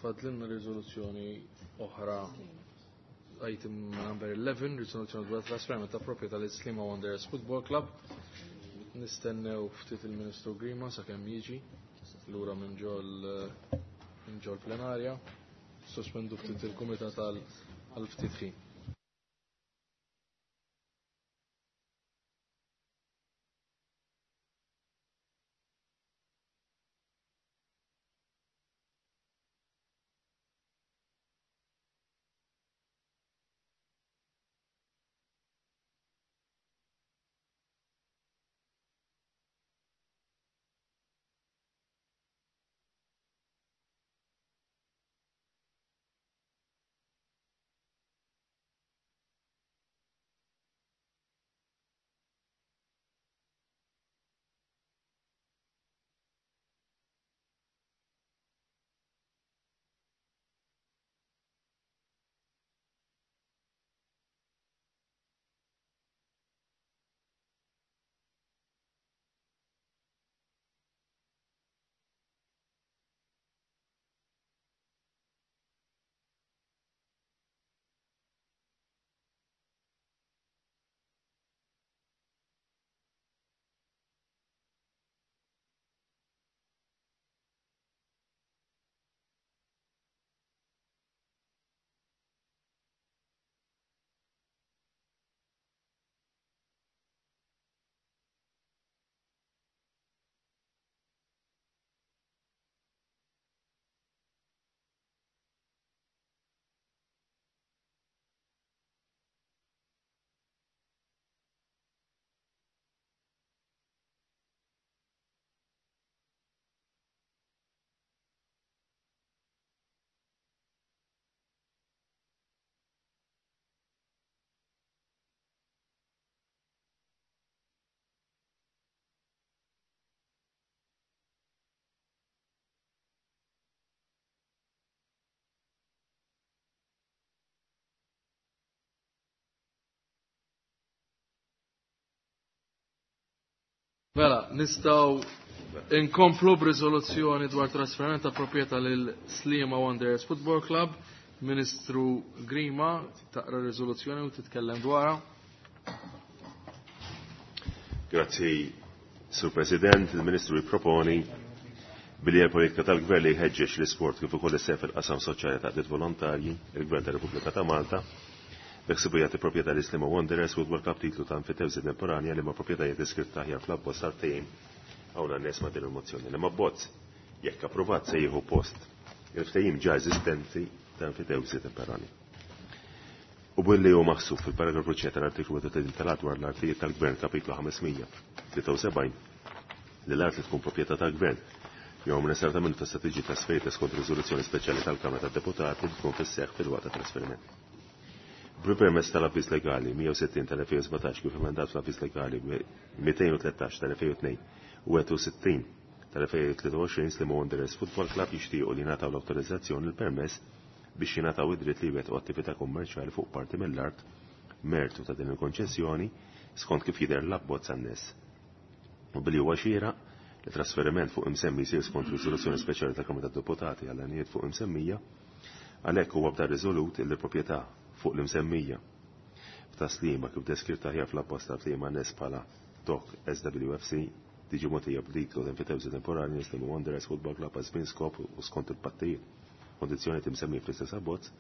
fadlilna riżoluzzjoni oħra item number 11, riżoluzzjoni dwar trasferiment ta' proprjetà lil Sliema Wanderers Football Club. Nistennew ftit il-Ministru Grima sakemm jiġi lura minn ġol plenarja. Sospendu ftit il-kumitat għal ftit ħin. Mela, nistgħu inkomplu b'riżoluzzjoni dwar trasferiment ta' proprjetà lil Sliema Wanderers Football Club. Ministru Grima taqra riżoluzzjoni u titkellem dwarha. Grazzi, Sur President, il-Ministru jipproponi billi l-politika tal-Gvern li jħeġġeġ l-isport kif ukoll isseħ fil-qasam soċjali ta' għaqdiet volontarji, il-Gvern tar-Repubblika ta' Malta, beħsibu jagħti proprjetà lil Sliema Wanderers Football Club titlu ta' enfitewsi temporanja li ma' proprjetajiet iskritta aħjar fl-abbozz tal-ftehim hawn għan-nies ma' din il-mozzjoni. Li ma' bozz jekk approvat se jieħu post il-ftehim ġa eżistenti ta' enfitewsi temporanja. U billi hu maħsub fil-paragrafu C tal-artiklu 31 tal-Att dwar l-artijiet tal-Gvern kapitlu 573 li l-art li tkun proprjetà tal-Gvern jew amministrata minnu tista' tiġi trasferita skont riżoluzzjoni speċjali tal-Kamra tad-Deputati li tkun fis-seħħ fil-waqt ta' trasferiment. B'permess tal-avviż legali 160 tal-2017 kif emendat fl-avviż legali 213 tal-2002 u 61 tal-2023 Sliema Wanderers Football Club jixtiequ li jingħataw l-awtorizzazzjoni l-permess biex jingħataw id-dritt li jwettqu attività kummerċjali fuq parti mill-art mertu ta' din il-konċessjoni skont kif jidher l-abbozz anness. U billi huwa xieraq li trasferiment fuq imsemmi jsir skont riżoluzzjoni speċjali tal-Kamra tad-Deputati għal għanijiet fuq imsemmija, għalhekk huwa bda riżolut li proprjetà fuq l-imsemmija f'Tas-Sliema kif deskritta aħjar fl-abbozz tal-ftehim anness bħala Doc SWFC tiġi mogħtija b'titlu enfitewżi temporanju lil Sliema Wanderers Football Club għal żmien skop u skont il-pattijiet kondizzjonijiet imsemmija fl-istess abbozz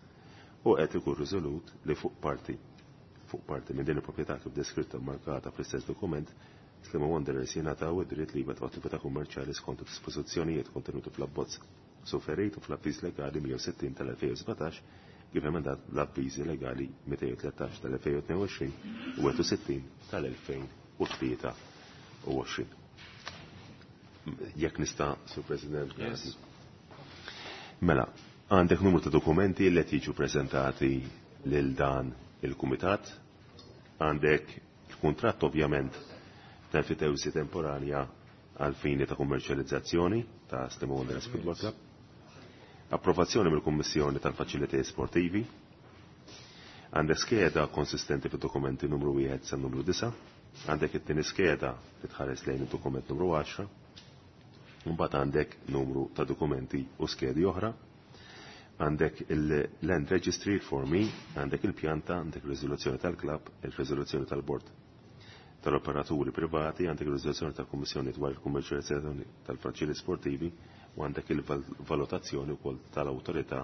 u qed ikun riżolut li fuq parti fuq parti minn din il-proprjetà kif deskritta u markata fl-istess dokument Sliema Wanderers jingħataw id-dritt li jwettqu attività kummerċjali skont id-dispożizzjonijiet kontenuti fl-abbozz suferit u fl-avviż legali 160 tal-2017 kif emendat l-avviżi legali 213 tal-2022 u 61 tal-2023. Jekk nista', Sur President, Yes. Mela, għandek numru ta' dokumenti li qed jiġu preżentati lil dan il-kumitat, għandek il-kuntratt ovvjament ta' enfitewsi temporanja għal fini ta' kummerċjalizzazzjoni ta' Sliema Wanderers Football Club, approvazzjoni mill-Kummissjoni tal-Faċilitajiet Sportivi, għandek skeda konsistenti fid-dokumenti numru 1 sa numru 9, għandek it-tieni skeda li tħares lejn id-dokument numru 10, mbagħad għandek numru ta' dokumenti u skedi oħra, għandek il-Land Registry formi, għandek il-pjanta, għandek il-riżoluzzjoni tal-klab, il-riżoluzzjoni tal-bord tal-operaturi privati, għandek il-riżoluzzjoni tal-Kummissjoni dwar il-kummerċjalizzazzjoni tal-faċili sportivi u għandek il-valutazzjoni wkoll tal-awtorità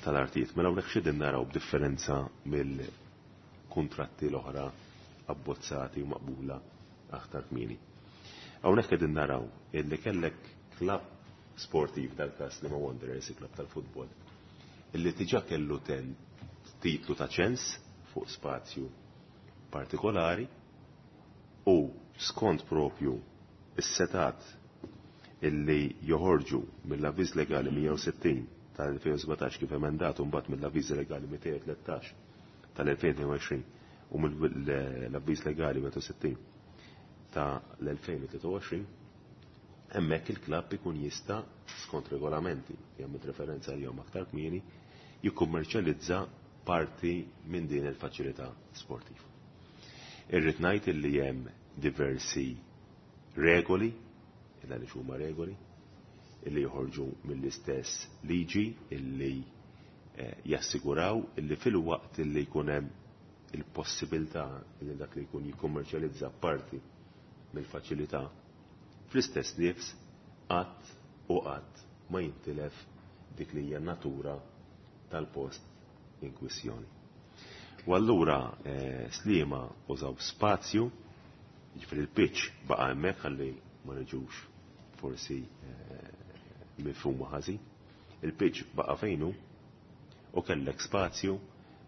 tal-artijiet. Mela hawnhekk x'qegħdin naraw b'differenza mill-kuntratti l-oħra abbozzati u maqbula aktar kmieni. Hawnhekk qegħdin naraw illi kellek klabb sportiv dal-każ Sliema Wanderers, il-klabb tal-futbol, illi diġà kellu ten titlu ta' ċens fuq spazju partikolari u skont propju is-setat illi joħorġu mill-avviż legali 160 tal-2017 kif emendat u mbagħad mill-avviż legali 213 tal-2022 u mill-avviż legali 160 tal-2023, hemmhekk il-klabb ikun jista' skont regolamenti li għamilt referenza għalihom aktar kmieni jikkummerċjalizza parti minn din il-faċilità sportiva. Irrid ngħid illi hemm diversi regoli, illa li huma regoli, illi joħorġu mill-istess liġi illi jassiguraw illi fil-waqt illi jkun hemm il-possibilità illi dak li jkun jikkummerċjalizza parti mill-faċilità, fl-istess nifs qatt u qatt ma jintilef dik li hija natura tal-post in kwistjoni. U allura Sliema użaw spazju, jiġifieri il-pitch baqa' hemmhekk ħalli ma niġux forsi mifhuma ħażin. Il-pitch baqa' fejnu u kellek spazju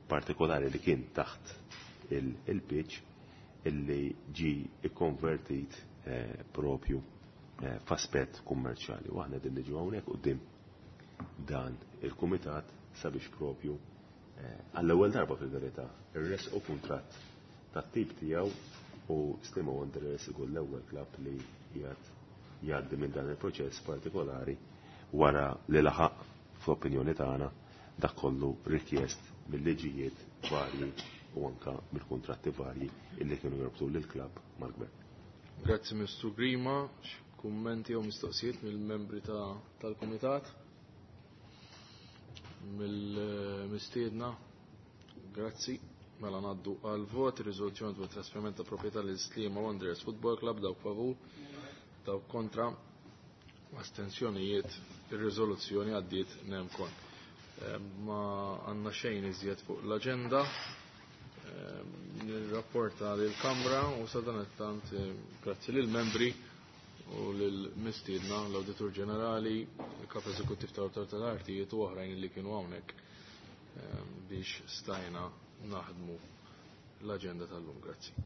partikolari li kien taħt il-pitch illi ġi ikkonvertit propju f'aspett kummerċjali. U aħna din niġu hawnhekk quddiem dan il-kumitat sabiex propju għall-ewwel darba fil-verità irresqu kuntratt tat-tip tiegħu u Sliema Wanderers ikun l-ewwel klabb li qiegħed jgħaddi minn dan il-proċess partikolari wara li laħaq fl-opinjoni tagħna dak kollu rikjest mill-liġijiet varji u anka mill-kuntratti varji illi kienu jorbtu lill-klabb mal-gvern. Grazzi Mr. Grima, kummenti u mistoqsijiet mill-membri tal-Kumitat, mill-mistiedna. Grazzi. Mela ngħaddu għal vot riżoluzzjoni dwar trasferiment ta' proprjetà lil Sliema Wanderers Football Club, dawk favur, dawk kontra, astensjonijiet, ir-riżoluzzjoni għaddiet nemkon. Ma għandna xejn iżjed fuq l-aġenda. Nirrapporta lill-Kamra u sadanittant grazzi lill-membri u lill-mistiedna l-Awditur Ġenerali, il-Kap Eżekuttiv tal-Awtorità tal-Artijiet u oħrajn li kienu hawnhekk biex stajna naħdmu l-aġenda tal-lum. Grazzi.